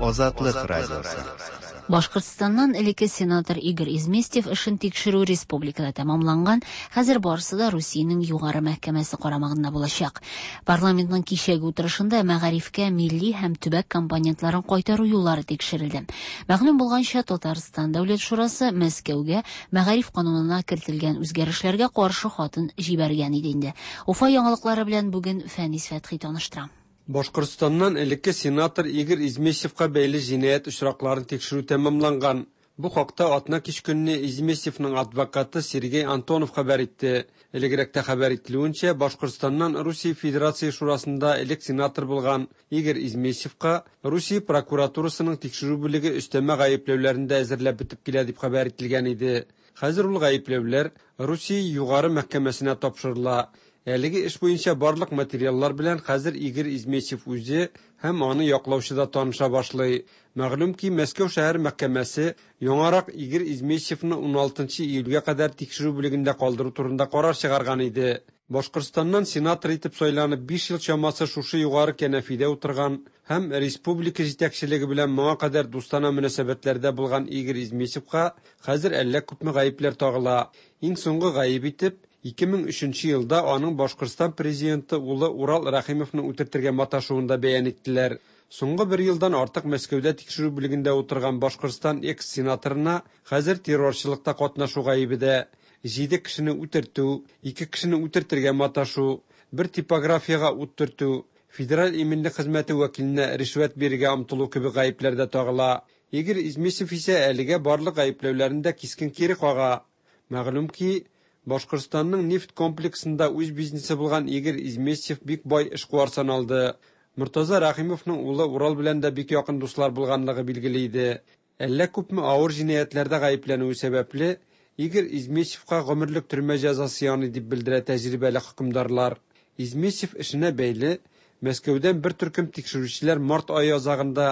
Азатлык радиосы. Башкортстаннан элекке сенатор Игорь Изместьев эшен тикшерү республикада тәмамланган, хәзер барысы да Русиянең Югары мәхкәмәсе карамагында булачак. Парламентның кичәге утырышында мәгарифкә милли һәм төбәк компонентларын кайтару юллары тикшерелде. Мәгълүм булганча, Татарстан Дәүләт шурасы Мәскәүгә мәгариф канунына кертелгән үзгәрешләргә каршы хатын җибәргән иде инде. Уфа яңалыклары белән бүген Фәнис Фәтхи таныштыра. Башкортстаннан элекке сенатор Игорь Изместьевка бәйле җинаять очракларын тикшерү тәмамланган. Бу хакта атна кич көнне Изместьевның адвокаты Сергей Антонов хәбәр итте. Элегрәктә хәбәр ителүенчә, Башкортстаннан Русия Федерация Шурасында элек сенатор булган Игорь Изместьевка Русия прокуратурасының тикшерү бүлеге өстәмә гаепләүләрен дә әзерләп бетеп килә дип хәбәр ителгән иде. Хәзер ул гаепләүләр Русия Югары мәхкәмәсенә тапшырыла. Әлеге эш буенча барлык материаллар белән хәзер Игорь Изместьев үзе һәм аны яклаучы да таныша башлый. Мәгълүм ки, Мәскәү шәһәр мәхкәмәсе яңарак Игорь Изместьевны 16 июльгә кадәр тикшерү бүлегендә калдыру турында карар чыгарган иде. Башкортстаннан сенатор итеп сайланып 5 ел чамасы шушы югары кәнәфидә утырган һәм республика җитәкчелеге белән моңа кадәр дустана мөнәсәбәтләрдә булган Игорь Изместьевка хәзер әллә күпме гаепләр тагыла. Иң соңгы гаеп итеп 2003 елда аның Башкортстан президенты улы Урал Рәхимовны үтертергә маташуын да бәян иттеләр. Соңгы бер елдан артык Мәскәүдә тикшерү бүлегендә утырган Башкортстан экс-сенаторына хәзер террорчылыкта катнашу гаебе дә, 7 кешене үтертү, 2 кешене үтертергә маташу, бер типографиягә ут төртү, федераль иминлек хезмәте вәкиленә ришвәт бирергә омтылу кебек гаепләр дә тагыла. Игорь Изместьев исә әлегә барлык гаепләүләрен дә кискен кире кага. Мәгълүм ки, Башкортстанның нефть комплексында үз бизнесы булган Игорь Изместьев бик бай эшкуар саналды. Мортаза Рәхимовның улы Урал белән дә бик якын дуслар булганлыгы билгеле иде. Әллә күпме авыр җинаятьләрдә гаепләнүе сәбәпле, Игорь Измесевка гомерлек төрмә җәзасы яный, дип белдерә тәҗрибәле хөкемдарлар. Измесев эшенә бәйле Мәскәүдән бер төркем тикшерүчеләр март ае азагында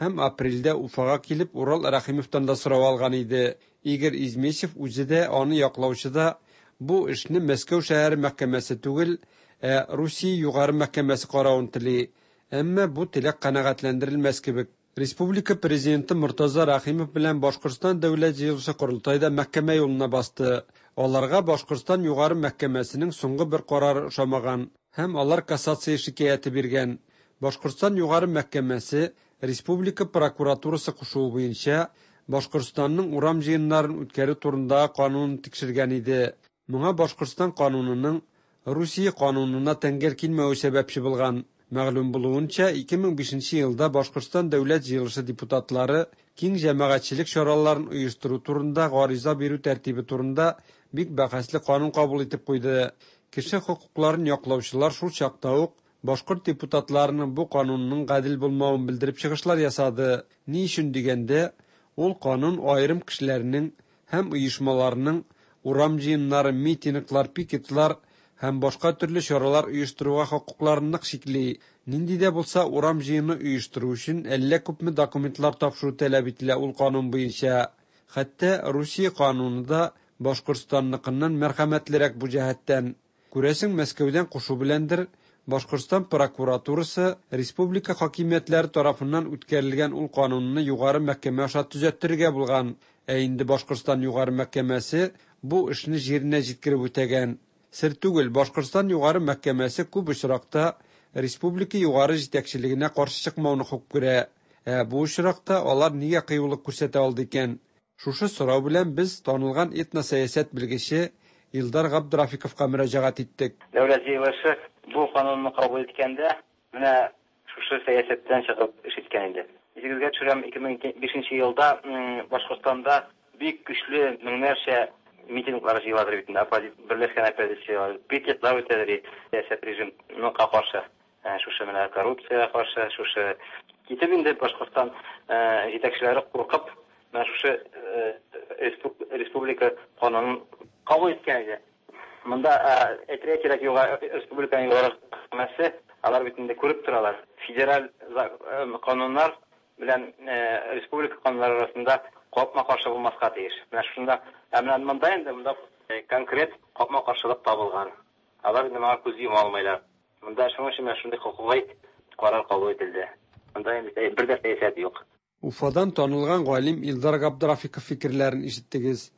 һәм апрельдә Уфага килеп Урал Рәхимовтан да сорау алган иде. Игорь Измесев үзе дә, аны яклаучы да бу эшне Мәскәү шәһәре мәхкәмәсе түгел, ә Русия Югары мәхкәмәсе каравын тели. Әмма бу теләк канәгатьләндерелмәс кебек. Республика Президенты Мортаза Рәхимов белән Башкортстан Дәүләт җыелышы-Корылтай да мәхкәмә юлына басты. Аларга Башкортстан Югары мәхкәмәсенең соңгы бер карары ошамаган һәм алар кассация шикаяте биргән. Башкортстан Югары мәхкәмәсе республика прокуратурасы кушуы буенча Башкортстанның урам җыеннарын үткәрү турындагы канунын тикшергән иде. Моңа Башкортстан канунының Русия канунына тәңгәл килмәве сәбәпче булган. Мәгълүм булуынча, 2005 елда Башкортстан Дәүләт җыелышы депутатлары киң җәмәгатьчелек чараларын оештыру турында гариза бирү тәртибе турында бик бәхәсле канун кабул итеп куйды. Кеше хокукларын яклаучылар шул чакта ук башкорт депутатларының бу канунның гадел булмавын белдереп чыгышлар ясады. Ни өчен дигәндә, ул канун аерым кешеләрнең һәм оешмаларның урам җыеннары, митинглар, пикетлар һәм башка төрле чаралар оештыруга хокукларын нык чикли. Нинди дә булса урам җыены оештыру өчен әллә күпме документлар тапшыру таләп ителә ул канун буенча. Хәтта Русия кануны да Башкортстанныкыннан мәрхәмәтлерәк бу җәһәттән. Күрәсең, Мәскәүдән кушу беләндер, Башкортстан прокуратурасы республика хакимиятләре тарафыннан үткәрелгән ул канунны югары мәхкәмә аша төзәттерергә булган. Ә инде Башкортстан югары мәхкәмәсе бу эшне җиренә җиткереп үтәгән. Сер түгел, Башкортстан югары мәхкәмәсе күп очракта республика югары җитәкчелегенә каршы чыкмауны хуп күрә. Ә бу очракта алар нигә кыюлык күрсәтә алды икән? Шушы сорау белән без танылган этносәясәт белгече Илдар Габдрафиковка мөрәҗәгать иттек. Дәүләт җыелышы бу канунны кабул иткәндә, менә шушы сәясәттән чыгып эш иткән иде. Исегезгә төшерәм, 2005 елда Башкортстанда бик көчле меңнәрчә митинглар җыеладыр бит инде, берләшкән оппозиция, пикетлар үтәдер сәясәт режимга каршы, шушы менә коррупциягә каршы, шушы китеп инде Башкортстан җитәкчеләре куркып, менә шушы республика канунын кабул иткән иде. Монда әйтергә кирәк, республиканың югары мәхкәмәсе, алар бит инде күреп торалар. Федераль кануннар белән республика кануннары арасында капма-каршы булмаска тиеш. Менә шунда, ә менә монда инде монда конкрет капма-каршылык табылган. Алар инде моңа күз йома алмыйлар. Монда шуның өчен менә шундый хокукый карар кабул ителде. Монда инде бер дә сәясәт юк. Уфадан танылган галим Илдар Габдрафиков фикерләрен ишеттегез.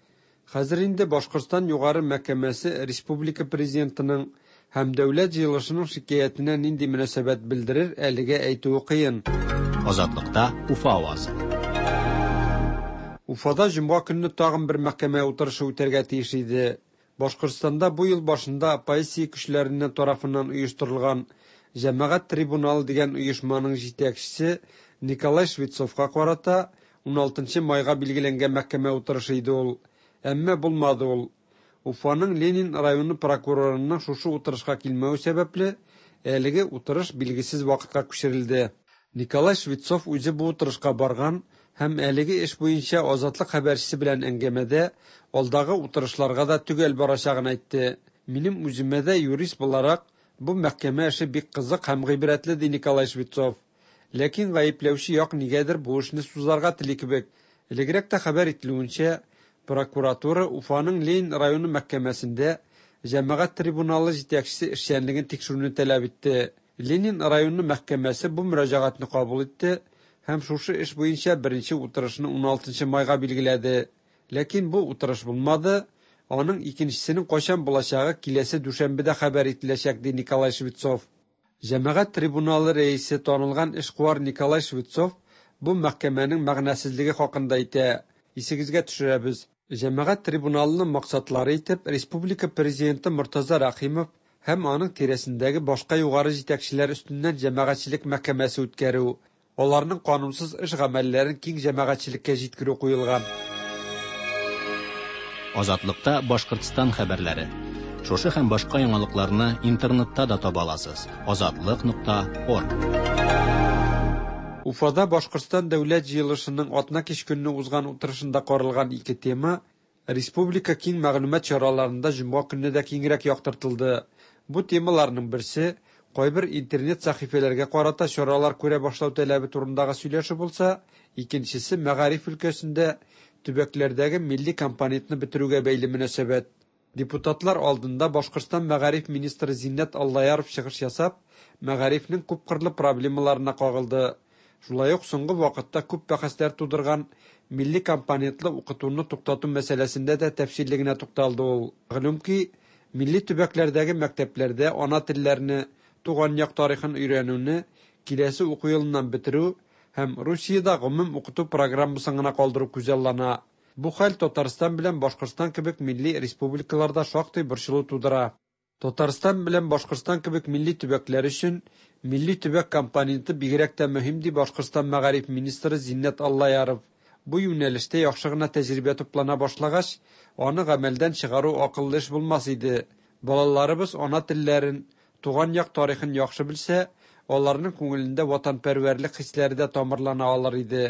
Хәзер инде Башкортстан Югары мәхкәмәсе республика президентының һәм дәүләт җыелышының шикаятенә нинди мөнәсәбәт белдерер, әлегә әйтүе кыен. Азатлыкта Уфа авазы. Уфада җомга көнне тагын бер мәхкәмә утырышы үтәргә тиеш иде. Башкортстанда бу ел башында оппозиция көчләреннән тарафыннан оештырылган Җәмәгать трибуналы дигән оешманың җитәкчесе Николай Швецовка карата 16 майга билгеләнгән мәхкәмә утырышы иде ул. Әмма булмады ул. Уфаның Ленин районы прокурорының шушы утырышка килмәве сәбәпле, әлеге утырыш билгесез вакытка күчерелде. Николай Швецов үзе бу утырышка барган һәм әлеге эш буенча Азатлык хәбәрчесе белән әңгәмәдә алдагы утырышларга да төгәл барачагын әйтте. Минем үземә дә юрист буларак бу мәхкәмә эше бик кызык һәм гыйбрәтле, ди Николай Швецов. Ләкин гаепләүче як нигәдер бу эшне сузарга тели кебек. Элегрәк тә хәбәр ителүенчә, прокуратура Уфаның Ленин районы мәхкәмәсендә җәмәгать трибуналы җитәкчесе эшчәнлеген тикшерүне таләп итте. Ленин районы мәхкәмәсе бу мөрәҗәгатьне кабул итте һәм шушы эш буенча беренче утырышны 16 майга билгеләде. Ләкин бу утырыш булмады. Аның икенчесенең кайчан булачагы киләсе дүшәмбедә хәбәр ителәчәк, ди Николай Швецов. Җәмәгать трибуналы рәисе танылган эшкуар Николай Швецов бу мәхкәмәнең мәгънәсезлеге хакында әйтә. Исегезгә төшерәбез. Җәмәгать трибуналының максатлары итеп республика президенты Мортаза Рәхимов һәм аның тирәсендәге башка югары җитәкчеләр өстеннән җәмәгатьчелек мәхкәмәсе үткәрү, аларның канунсыз эш гамәлләрен киң җәмәгатьчелеккә җиткерү куелган. Азатлыкта Башкортстан хәбәрләре. Шушы һәм башка яңалыкларны интернетта да таба аласыз. Азатлык.орг. Уфада Башкортстан дәүләт җыелышының атна кич көнне узган утырышында каралган ике тема Республика киң мәгълүмат чараларында җомга көнне дә киңрәк яктыртылды. Бу темаларның берсе кайбер интернет сәхифәләргә карата чаралар күрә башлау таләбе турындагы сөйләшү булса, икенчесе мәгариф өлкәсендә төбәкләрдәге милли компонентны бетерүгә бәйле мөнәсәбәт. Депутатлар алдында Башкортстан мәгариф министры Зиннәт Аллаяров чыгыш ясап, мәгарифнең күпкырлы проблемаларына кагылды. Шулай ук соңгы вакытта күп бәхәсләр тудырган милли компонентлы укытуны туктату мәсьәләсендә дә тәфсилле генә тукталды ул. Мәгълүм ки, милли төбәкләрдәге мәктәпләрдә ана телләрне, туган як тарихын өйрәнүне киләсе уку елыннан бетерү һәм Русиядә гомум укыту программасын гына калдыру күзаллана. Бу хәл Татарстан белән Башкортстан кебек милли республикаларда шактый борчылу тудыра. Татарстан белән Башкортстан кебек милли төбәкләр өчен милли төбәк компоненты бигрәк тә мөһим, ди Башкортстан мәгариф министры Зиннәт Аллаяров. Бу юнәлештә яхшы гына тәҗрибә туплана башлагач, аны гамәлдән чыгару акыллы эш булмас иде. Балаларыбыз ана телләрен, туган як тарихын яхшы белсә, аларның күңелендә ватанпәрвәрлек хисләре дә тамырлана алыр иде.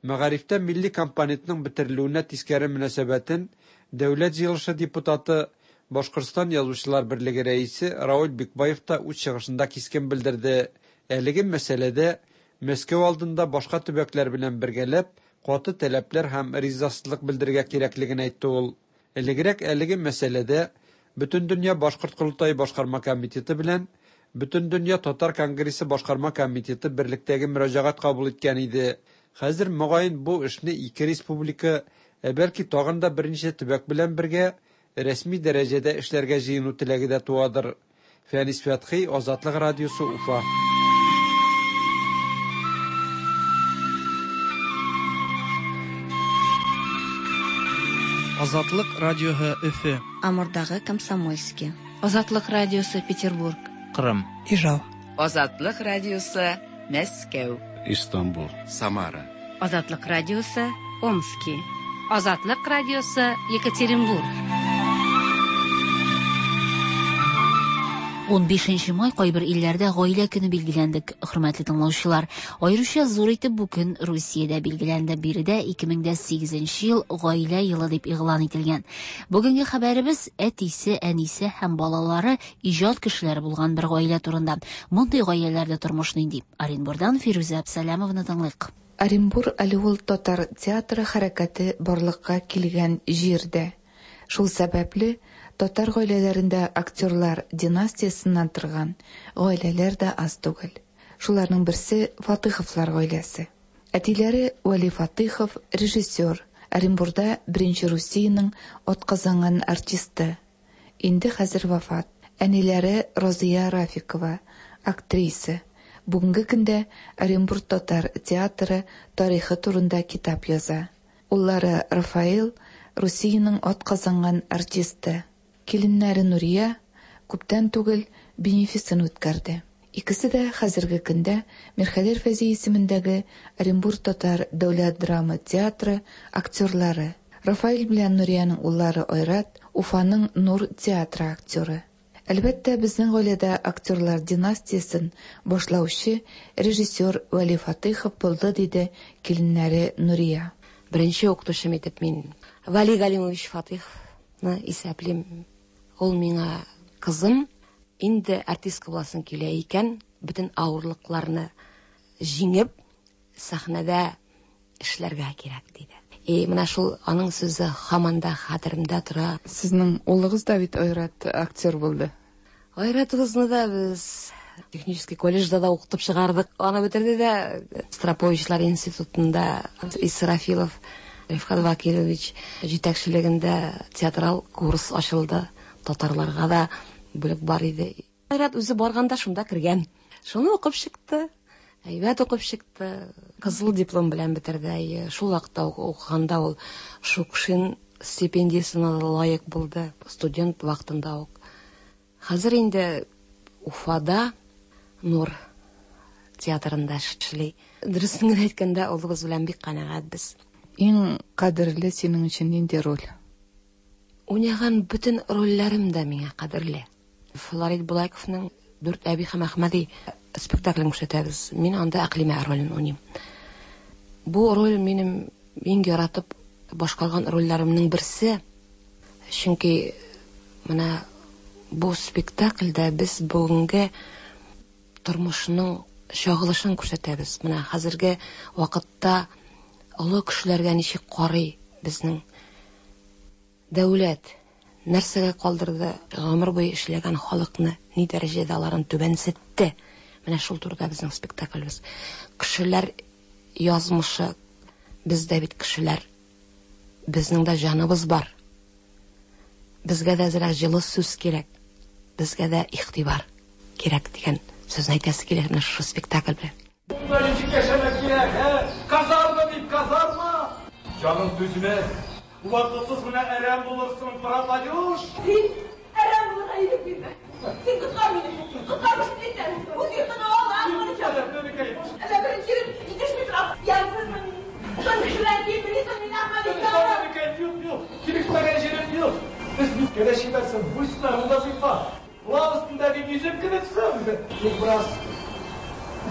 Мәгарифтә милли компонентның бетерелүенә тискәре мөнәсәбәтен Дәүләт Җыелышы депутаты, Башкортстан Язучылар берлеге рәисе Равил Бикбаев та үз чыгышында кискен белдерде. Әлеге мәсьәләдә Мәскәү алдында башка төбәкләр белән бергәләп каты таләпләр һәм ризасызлык белдерергә кирәклеген әйтте ул. Элегрәк әлеге мәсьәләдә Бөтендөнья башкорт корылтае башкарма комитеты белән Бөтендөнья татар конгрессы башкарма комитеты берлектәге мөрәҗәгать кабул иткән иде. Хәзер, мөгаен, бу эшне ике республика, ә бәлки тагын да берничә төбәк белән бергә рәсми дәрәҗәдә эшләргә җыену теләге дә туадыр. Фәнис Фәтхи, Азатлык радиосы, Уфа. Азатлык радиоһы Өфе. Амурдагы Комсомольски. Азатлык радиосы Петербург. Кырым. Ижау. Азатлык радиосы Мәскәү. Истанбул. Самара. Азатлык радиосы Омски. Азатлык радиосы Екатеринбург. 15 май кайбер илләрдә гаилә көне билгеләнде, хөрмәтле тыңлаучылар. Аеруча зур итеп бу көн Русиядә билгеләнде. Биредә 2008 ел гаилә елы дип игълан ителгән. Бүгенге хәбәребез әтисе, әнисе һәм балалары иҗат кешеләре булган бер гаилә турында. Мондый гаиләләрдә тормыш нинди? Оренбурдан Фирүзә Әбсәләмованы тыңлыйк. Оренбур әле ул татар театры хәрәкәте барлыкка килгән җир дә. Шул сәбәпле татар гаиләләрендә актерлар династиясеннән торган гаиләләр дә аз түгел. Шуларның берсе Фатыховлар гаиләсе. Әтиләре Вәли Фатыхов режиссер, Оренбурда беренче Русиянең атказанган артисты. Инде хәзер вафат. Әниләре Розия Рафикова, актриса. Бүгенге көндә Оренбург татар театры тарихы турында китап яза. Уллары Рафаэл Русиянең атказанган артисты. Киленнәре Нурия күптән түгел бенефисын үткәрде. Икесе дә хәзерге көндә Мирхәйдәр Фәйзи исемендәге Оренбург татар дәүләт драма театры актерлары. Рафаэль белән Нуриянең уллары Айрат Уфаның Нур театры актеры. Әлбәттә, безнең гаиләдә актерлар династиясен башлаучы режиссер Вәли Фатыйхов булды, диде киленнәре Нурия. Беренче укытучым итеп мин Вәли Галимович Фатыйховны исәплим. Ул миңа кызым, инде артистка буласың килә икән, бөтен авырлыкларны җиңеп, сәхнәдә эшләргә кирәк, диде. И менә шул аның сүзе һаман да хәтеремдә тора. Сезнең улыгыз да бит Айрат актер булды. Айратыбызны да без технический колледжда да укытып чыгардык. Аны бетерде дә Строповичлар институтында Исрафилов Рифкат Вакилович җитәкчелегендә театрал курс ачылды. Татарларга да бүлек бар иде. Айрат үзе барганда шунда кергән. Шуны укып чыкты. Әйбәт укып чыкты. Кызыл диплом белән бетерде. Шул вакытта укыганда ул Шукшин стипендиясенә лаек булды. Студент вакытында ук. Хәзер инде Уфада Нур театрында эшли. Дөресен генә әйткәндә, улыбыз белән бик канәгать без. Иң кадерле синең өчен нинди роль? Уйнаган бөтен рольләрем дә миңа кадерле. Флорид Булайковның Дүрт әби һәм Әхмәди спектаклен күрсәтәбез. Мин анда Әкълимә ролен уйныйм. Бу роль минем иң яратып башкарган рольләремнең берсе. Чөнки менә бу спектакльдә без бүгенге тормышның чагылышын күрсәтәбез. Менә хәзерге вакытта олы кешеләргә ничек карый безнең дәүләт, нәрсәгә калдырды гомер буе эшләгән халыкны, ни дәрәҗәдә аларын түбәнсетте. Менә шул турыда безнең спектаклебез. Кешеләр язмышы, без дә бит кешеләр. Безнең дә җаныбыз бар. Безгә дә әзрәк җылы сүз кирәк. Безгә дә игътибар кирәк дигән сүзне әйтәсе килә менә шушы спектакль белән. Монда ничек яшәмәк кирәк, ә? Казарма дип, казарма! Җаның түзмәс. Вакытсыз гына әрәм булырсың, пропадешь! Син әрәм булырга ирек бирмә. Син коткар мине. Коткар өчен әйтәм. Үз йортыңа ал, Әллә беренче ирем җитешми тора. Ямьсезме мин? Тын кешеләр киеп йөрисең, мин әхмәк Юк, юк, килешмәгән җирем юк. Без бит кенә чибәрсең, буйсыннар, да зифа. Лав өстендәге йөзек кебексең. Тик бераз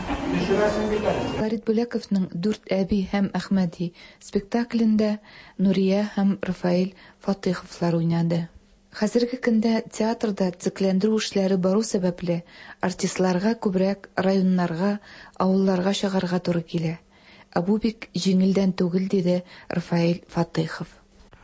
төшерәсең бит әле. Фәрит Бүләковның Дүрт әби һәм Әхмәди спектаклендә Нурия һәм Рафаэль Фатыйховлар уйнады. Хәзерге көндә театрда төзекләндерү эшләре бару сәбәпле, артистларга күбрәк районнарга, авылларга чыгарга туры килә. Ә бу бик җиңелдән түгел, диде Рафаэль Фатыйхов.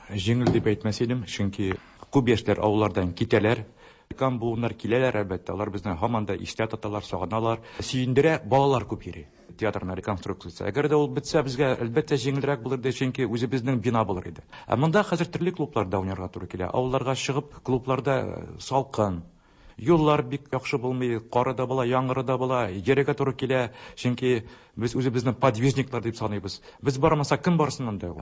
Җиңел дип әйтмәс идем, чөнки күп яшьләр авыллардан китәләр. Өлкән буыннар киләләр, әлбәттә, алар безне һаман да истә тоталар, сагыналар. Сөендерә, балалар күп йөри. Театрның реконструкциясе. Әгәр дә ул бетсә, безгә әлбәттә җиңелрәк булыр иде, чөнки үзебезнең бина булыр иде. Ә монда хәзер төрле клубларда уйнарга туры килә. Авылларга чыгып, клубларда салкын, юллар бик яхшы булмый, кары да була, яңгыры да була, йөрергә туры килә, чөнки без үзебезне подвижниклар дип саныйбыз. Без бармасак, кем барсын анда?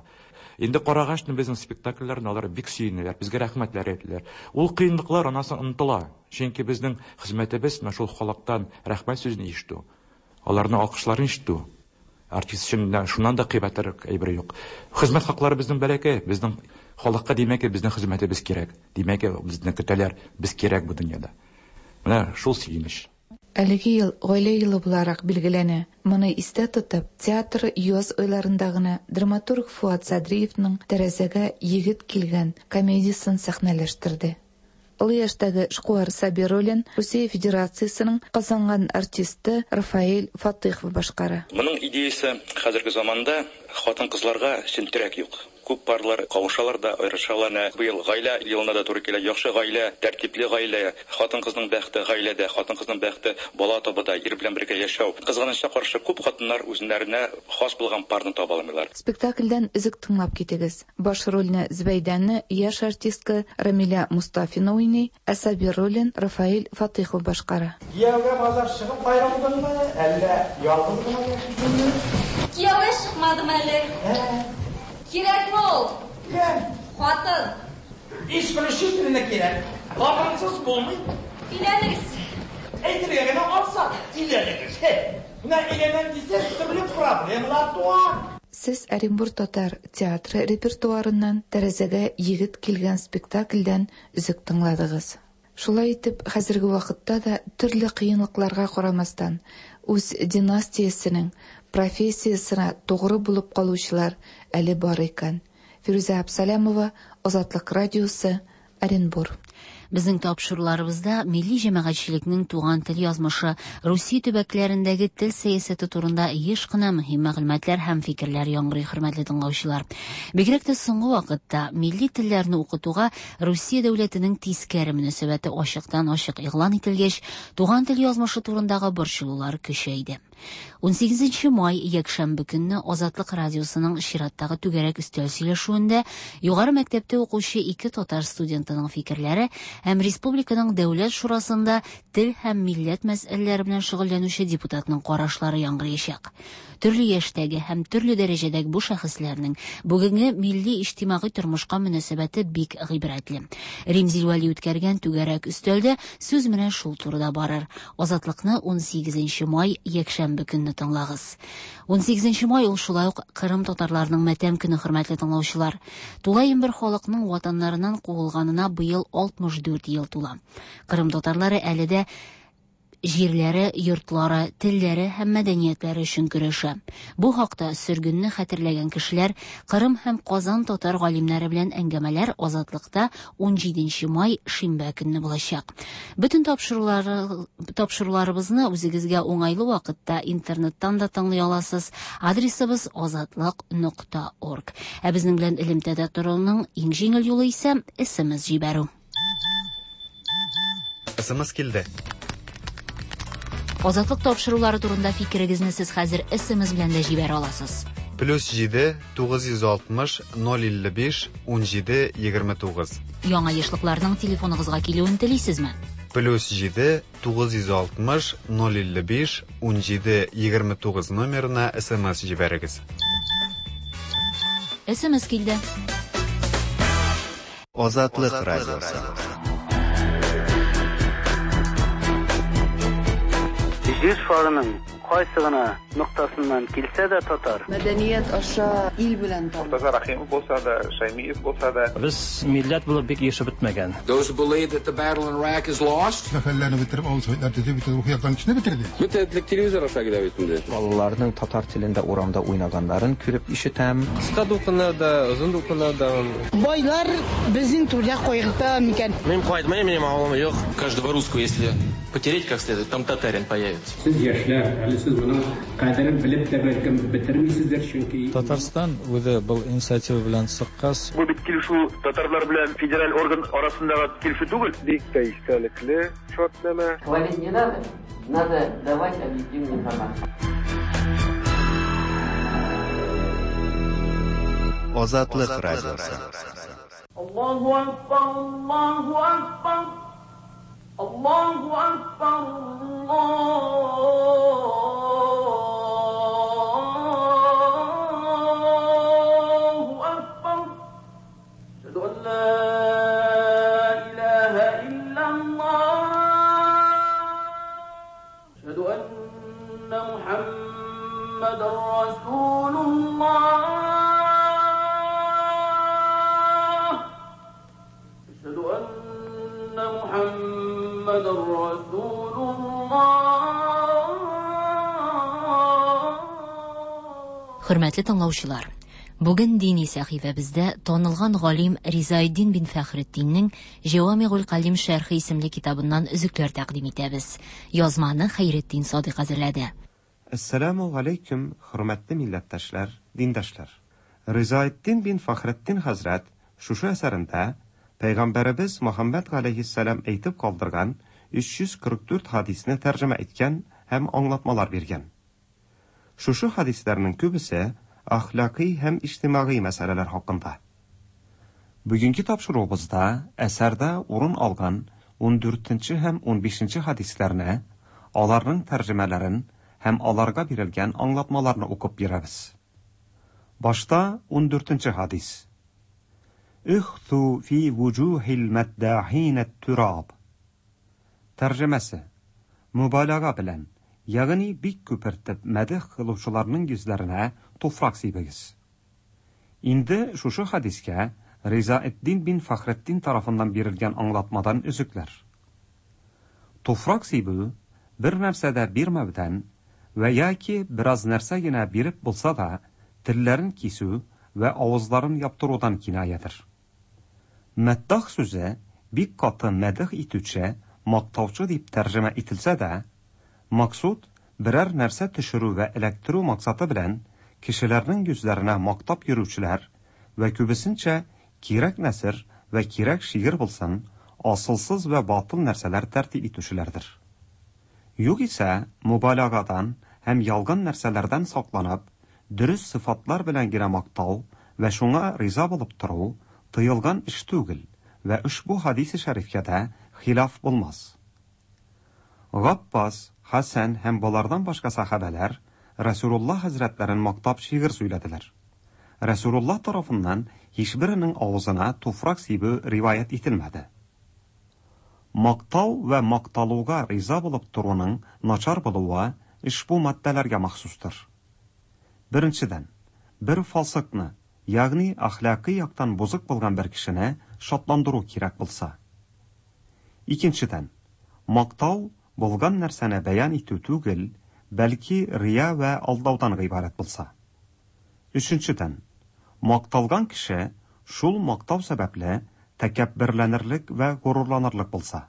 Инде карагач, безнең спектакльләрне алар бик сөенәләр, безгә рәхмәтләр әйтәләр. Ул кыенлыклар аннан соң онытыла. Чөнки безнең хезмәтебез менә шул халыктан рәхмәт сүзен ишетү, аларның алкышларын ишетү. Артист өчен шуннан да кыйбатрак әйбер юк. Хезмәт хаклары безнең бәләкәй, безнең халыкка димәк, безнең хезмәтебез кирәк. Димәк, безне көтәләр, без кирәк бу дөньяда. Менә шул сөенеч. Әлеге ел гаилә елы буларак билгеләнә. Моны истә тотып, театр яз айларында гына драматург Фуат Садриевның Тәрәзәгә егет килгән комедиясен сәхнәләштерде. Олы яшьтәге эшкуар Сабир ролен Русия Федерациясенең казанган артисты Рафаэль Фатыйхов башкара. Моның идеясе хәзерге заманда хатын-кызларга чын терәк юк. Күп парлар кавышалар да, аерышалар. Менә быел гаилә елына да туры килә. Яхшы гаилә, тәртипле гаилә, хатын-кызның бәхете гаиләдә, хатын-кызның бәхете бала табуда, ир белән бергә яшәү. Кызганычка каршы, күп хатыннар үзләренә хас булган парны таба алмыйлар. Спектакльдән өзек тыңлап китегез. Баш рольне Зөбәйдәне яшь артистка Рамилә Мустафина уйный, ә Сабир ролен Рафаэль Фатыйхов башкара. Кияүгә базар чыгып аерылдыңмы, әллә ялгыз гына яшисеңме? Кияүгә чыкмадым әле. Кирәкме ул? Кем? Хатын. Исключительно кирәк. Хатынсыз булмый. Өйләнегез. Әйтергә генә ансат, өйләнегез. Менә өйләнәм дисәң, төрле проблемалар туа. Сез Оренбур татар театры репертуарыннан Тәрәзәгә егет килгән спектакльдән өзек тыңладыгыз. Шулай итеп, хәзерге вакытта да төрле кыенлыкларга карамастан, үз династиясенең, профессиясенә тугры булып калучылар әле бар икән. Фирүзә Абсалямова, Азатлык радиосы, Оренбур. Безнең тапшыруларыбызда милли җәмәгатьчелекнең туган тел язмышы, Русия төбәкләрендәге тел сәясәте турында еш кына мөһим мәгълүматлар һәм фикерләр яңгырый, хөрмәтле тыңлаучылар. Бигрәк тә соңгы вакытта милли телләрне укытуга Русия дәүләтенең тискәре мөнәсәбәте ачыктан-ачык игълан ителгәч, туган тел язмышы турындагы борчылулар көчәйде. 18 май якшәмбе көнне Азатлык радиосының чираттагы түгәрәк өстәл сөйләшүендә югары мәктәптә укучы ике татар студентының фикерләре һәм республиканың дәүләт шурасында тел һәм милләт мәсьәләләре белән шөгыльләнүче депутатның карашлары яңгыраячак. Төрле яшьтәге һәм төрле дәрәҗәдәге бу шәхесләрнең бүгенге милли иҗтимагый тормышка мөнәсәбәте бик гыйбрәтле. Римзил Вәли үткәргән түгәрәк өстәлдә сүз менә шул турыда барыр. Азатлыкны 18 май якшәмбе көнне тыңлагыз. 18 май ул шулай ук Кырым татарларының матәм көне, хөрмәтле тыңлаучылар. Тулаем бер халыкның ватаннарыннан куылганына быел 64 ел тула. Кырым татарлары әле дә җирләре, йортлары, телләре һәм мәдәниятләре өчен көрәшә. Бу хакта сөргенне хәтерләгән кешеләр, Кырым һәм Казан татар галимнәре белән әңгәмәләр Азатлыкта 17 май шимбә көнне булачак. Бөтен тапшырулары тапшыруларыбызны үзегезгә уңайлы вакытта интернеттан да тыңлый аласыз. Адресыбыз азатлык нокта орг. Ә безнең белән элемтәдә торуның иң җиңел юлы исә SMS җибәрү. SMS килде. Азатлык тапшырулары турында фикерегезне сез хәзер SMS белән дә җибәрә аласыз. Плюс 7 960 055 17 29. Яңа ешлыкларның телефоныгызга килүен телисезме? Плюс 7 960 055 17 29 номерына SMS җибәрегез. SMS килде. Азатлык радиосы. Җир шарының кайсы гына ноктасыннан килсә дә татар. Мәдәният аша ил белән таныш. Мортаза Рәхимов булса да, Шәймиев булса да. Без милләт булып бик ирешеп бетмәгән. Those who believe that the battle in Iraq is lost. Мәхәлләне бетереп, авыл советлар төзеп, бөтен рухи яктан кешене бетерде. Бөтен телевизор аша килә бит инде. Балаларның татар телендә урамда уйнаганнарын күреп ишетәм. Кыска дулкыннар да, озын дулкыннар да. Байлар безнең түрдә кайгырта микән? Мин кайтмыйм, минем авылым юк. Каждого русского, если потереть как следует, там татарин появится. Сез яшьләр, әле сез моның кадерен белеп тә бәлкем бетермисездер, чөнки Татарстан үзе был инициатива белән чыккач, Бу бит килешү татарлар белән федераль орган арасындагы килешү түгел. Бик тә истәлекле шартнамә. Хвалить не надо, надо давать объективную информацию. Азатлык радиосы. Аллаһу акбар, Аллаһу акбар. Аллаһу акбар, Аллаһу акбар. Әшһәду ан ла илаһа иллаллаһ. Әшһәду анна Мухаммадан расулуллаһ. Әшһәду анна Мухаммадан расулуллаһ. Хөрмәтле тыңлаучылар, бүген дини сәхифәбездә танылган галим Ризаэддин бин Фәхретдиннең Җәвамигуль Калим шәрхе исемле китабыннан өзекләр тәкъдим итәбез. Язманы Хәйретдин Садыйк әзерләде. Әссәламү галәйкүм, хөрмәтле милләттәшләр, диндәшләр! Ризаэддин бин Фәхретдин хәзрәт шушы әсәрендә Пәйгамбәребез Мөхәммәд галәйһиссәлам әйтеп калдырган 344 хадисне тәрҗемә иткән һәм аңлатмалар биргән. Шушы хадисләрнең күбесе әхлакый һәм иҗтимагый мәсьәләләр хакында. Бүгенге тапшыруыбызда әсәрдә урын алган ундүртенче һәм унбишенче хадисләрне, аларның тәрҗемәләрен һәм аларга бирелгән аңлатмаларны укып бирәбез. Башта ундүртенче хадис. Ихту фи вуҗухил мәддахин ат-тураб. Тәрҗемәсе. Мөбаләга белән, ягъни бик күпертеп мәдех кылучыларның йөзләренә туфрак сибегез. Инде шушы хадискә Ризаэддин бин Фәхретдин тарафыннан бирелгән аңлатмадан өзекләр. Туфрак сибү, бер нәрсә дә бирмәүдән вә яки бераз нәрсә генә биреп булса да, телләрен кисү вә авызларын яптырудан кинаядер. Мәддах сүзе бик каты мәдех итүче, мактаучы дип тәрҗемә ителсә дә, максуд берәр нәрсә төшерү вә эләктерү максаты белән кешеләрнең йөзләренә мактап йөрүчеләр вә күбесенчә кирәк нәсер вә кирәк шигырь булсын, асылсыз вә батыл нәрсәләр тәртип итүчеләрдер. Югыйсә, мөбаләгадан һәм ялган нәрсәләрдән сакланып, дөрес сыйфатлар белән генә мактау вә шуңа риза булып тору тыелган эш түгел вә ошбу хадисе шәрифкә дә хилаф булмас. Габбас, Хәсән һәм болардан башка сәхабәләр Рәсүлулла хәзрәтләрен мактап шигырь сөйләделәр. Рәсүлулла тарафыннан һичберенең авызына туфрак сибү риваять ителмәде. Мактау вә макталуга риза булып торуның начар булуы ошбу маддәләргә махсустыр. Беренчедән, бер фасыкны, ягъни әхлакый яктан бозык булган бер кешене шатландыру кирәк булса. Икенчедән, мактау булган нәрсәне бәян итү түгел, бәлки рия вә алдаудан гыйбарәт булса. Өченчедән, макталган кеше шул мактау сәбәпле тәкәбберләнерлек вә горурланырлык булса.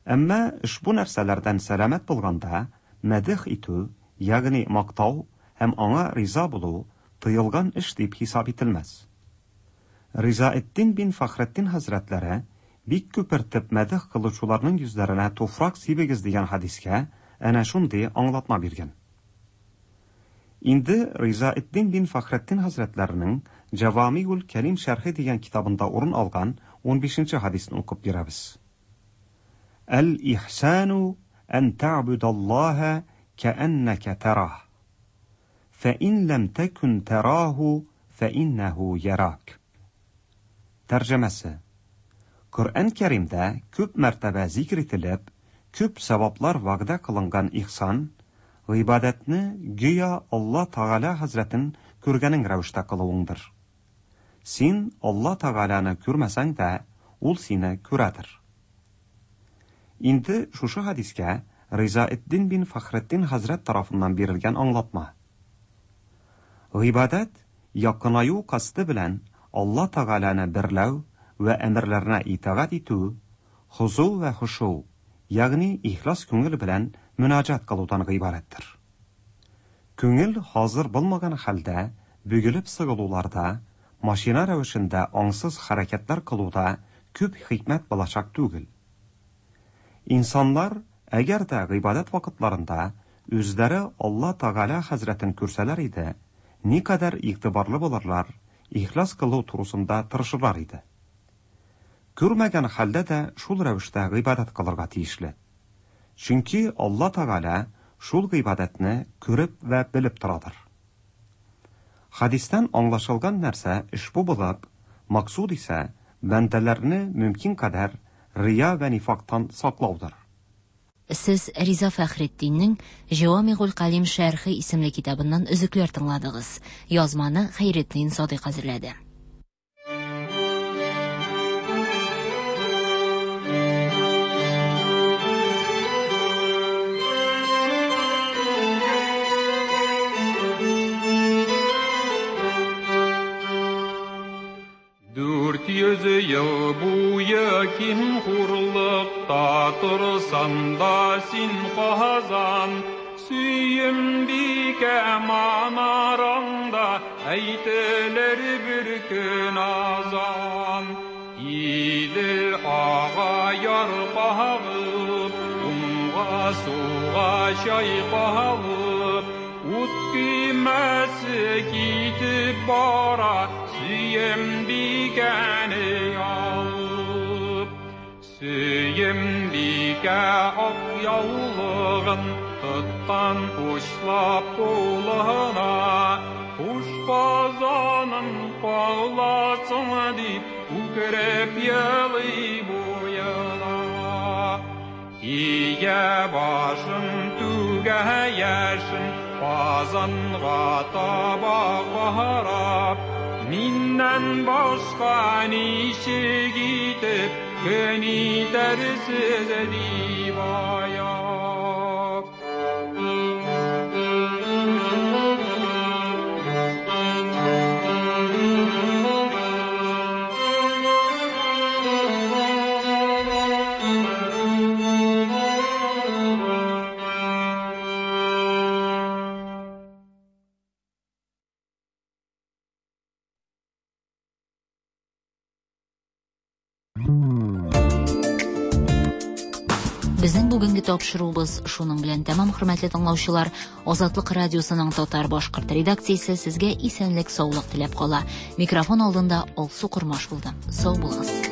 Әмма ошбу нәрсәләрдән сәламәт булганда, мәдех итү, ягъни мактау һәм аңа риза булу тыелган эш дип хисап ителмәс. Ризаэтдин бин Фәхретдин хәзрәтләре бик күпертеп мәдех кылучыларның йөзләренә туфрак сибегез дигән хәдискә әнә шундый аңлатма биргән. Инде Ризаэтдин бин Фәхретдин хәзрәтләренең Җәвамигул Кәлим шәрхе дигән китабында урын алган унбишенче хәдисне укып бирәбез. Әл-ихсану ән тәгъбүдаллаһа кәәннәкә тәраһ. Фә ин ләм тәкүн тәраһу фә иннәһу ярак. Тәрҗемәсе. Коръән Кәримдә күп мәртәбә зикр ителеп, күп саваплар вәгъдә кылынган ихсан, гыйбадәтне гүя Алла Тәгалә хәзрәтен күргәнең рәвештә кылуыңдыр. Син Алла Тәгаләне күрмәсәң дә, ул сине күрәдер. Инде шушы хәдискә Ризаэтдин бин Фәхретдин хәзрәт тарафыннан бирелгән аңлатма. Гыйбадәт якынаю касды белән Алла Тәгаләне берләү вә әмерләренә итагать итү, хозу вә хошу, ягъни ихлас күңел белән мөнаҗат кылудан гыйбарәттер. Күңел хазыр булмаган хәлдә бөгелеп сыгылуларда, машина рәвешендә аңсыз хәрәкәтләр кылуда күп хикмәт булачак түгел. Инсаннар, әгәр дә гыйбадәт вакытларында үзләре Алла Тәгалә хәзрәтен күрсәләр иде, никадәр игътибарлы булырлар, ихлас кылу турысында тырышырлар иде. Күрмәгән хәлдә дә шул рәвештә гыйбадәт кылырга тиешле. Чөнки Алла Тәгалә шул гыйбадәтне күреп вә белеп торадыр. Хәдистән аңлашылган нәрсә ошбу булып, максуд исә бәндәләрне мөмкин кадәр рия вә нифактан саклаудыр. Сез Риза Фәхретдиннең Җәвамигуль Калим шәрхе исемле китабыннан өзекләр тыңладыгыз. Язманы Хәйретдин Садыйк әзерләде. 400 ел буе ким хурлыкта торсан да син Казан, Сөембикә манараңда әйтелер бер көн азан. Идел ага яр кагып, уңга сулга чайкалып, ут көймәсе китеп бара, Сөембикәне алып. Сөембикә ак яулыгын тоткан учлап кулына, Хуш Казаным каласың дип, үкереп елый буена. Ия башын түгә яшен, Казанга таба карап, Миннән башка ничек итеп көн итәрсез дип аяп. Безнең бүгенге тапшыруыбыз шуның белән тәмам, хөрмәтле тыңлаучылар. Азатлык радиосының татар башкорт редакциясе сезгә исәнлек, саулык теләп кала. Микрофон алдында Алсу Кормаш булды. Сау булыгыз.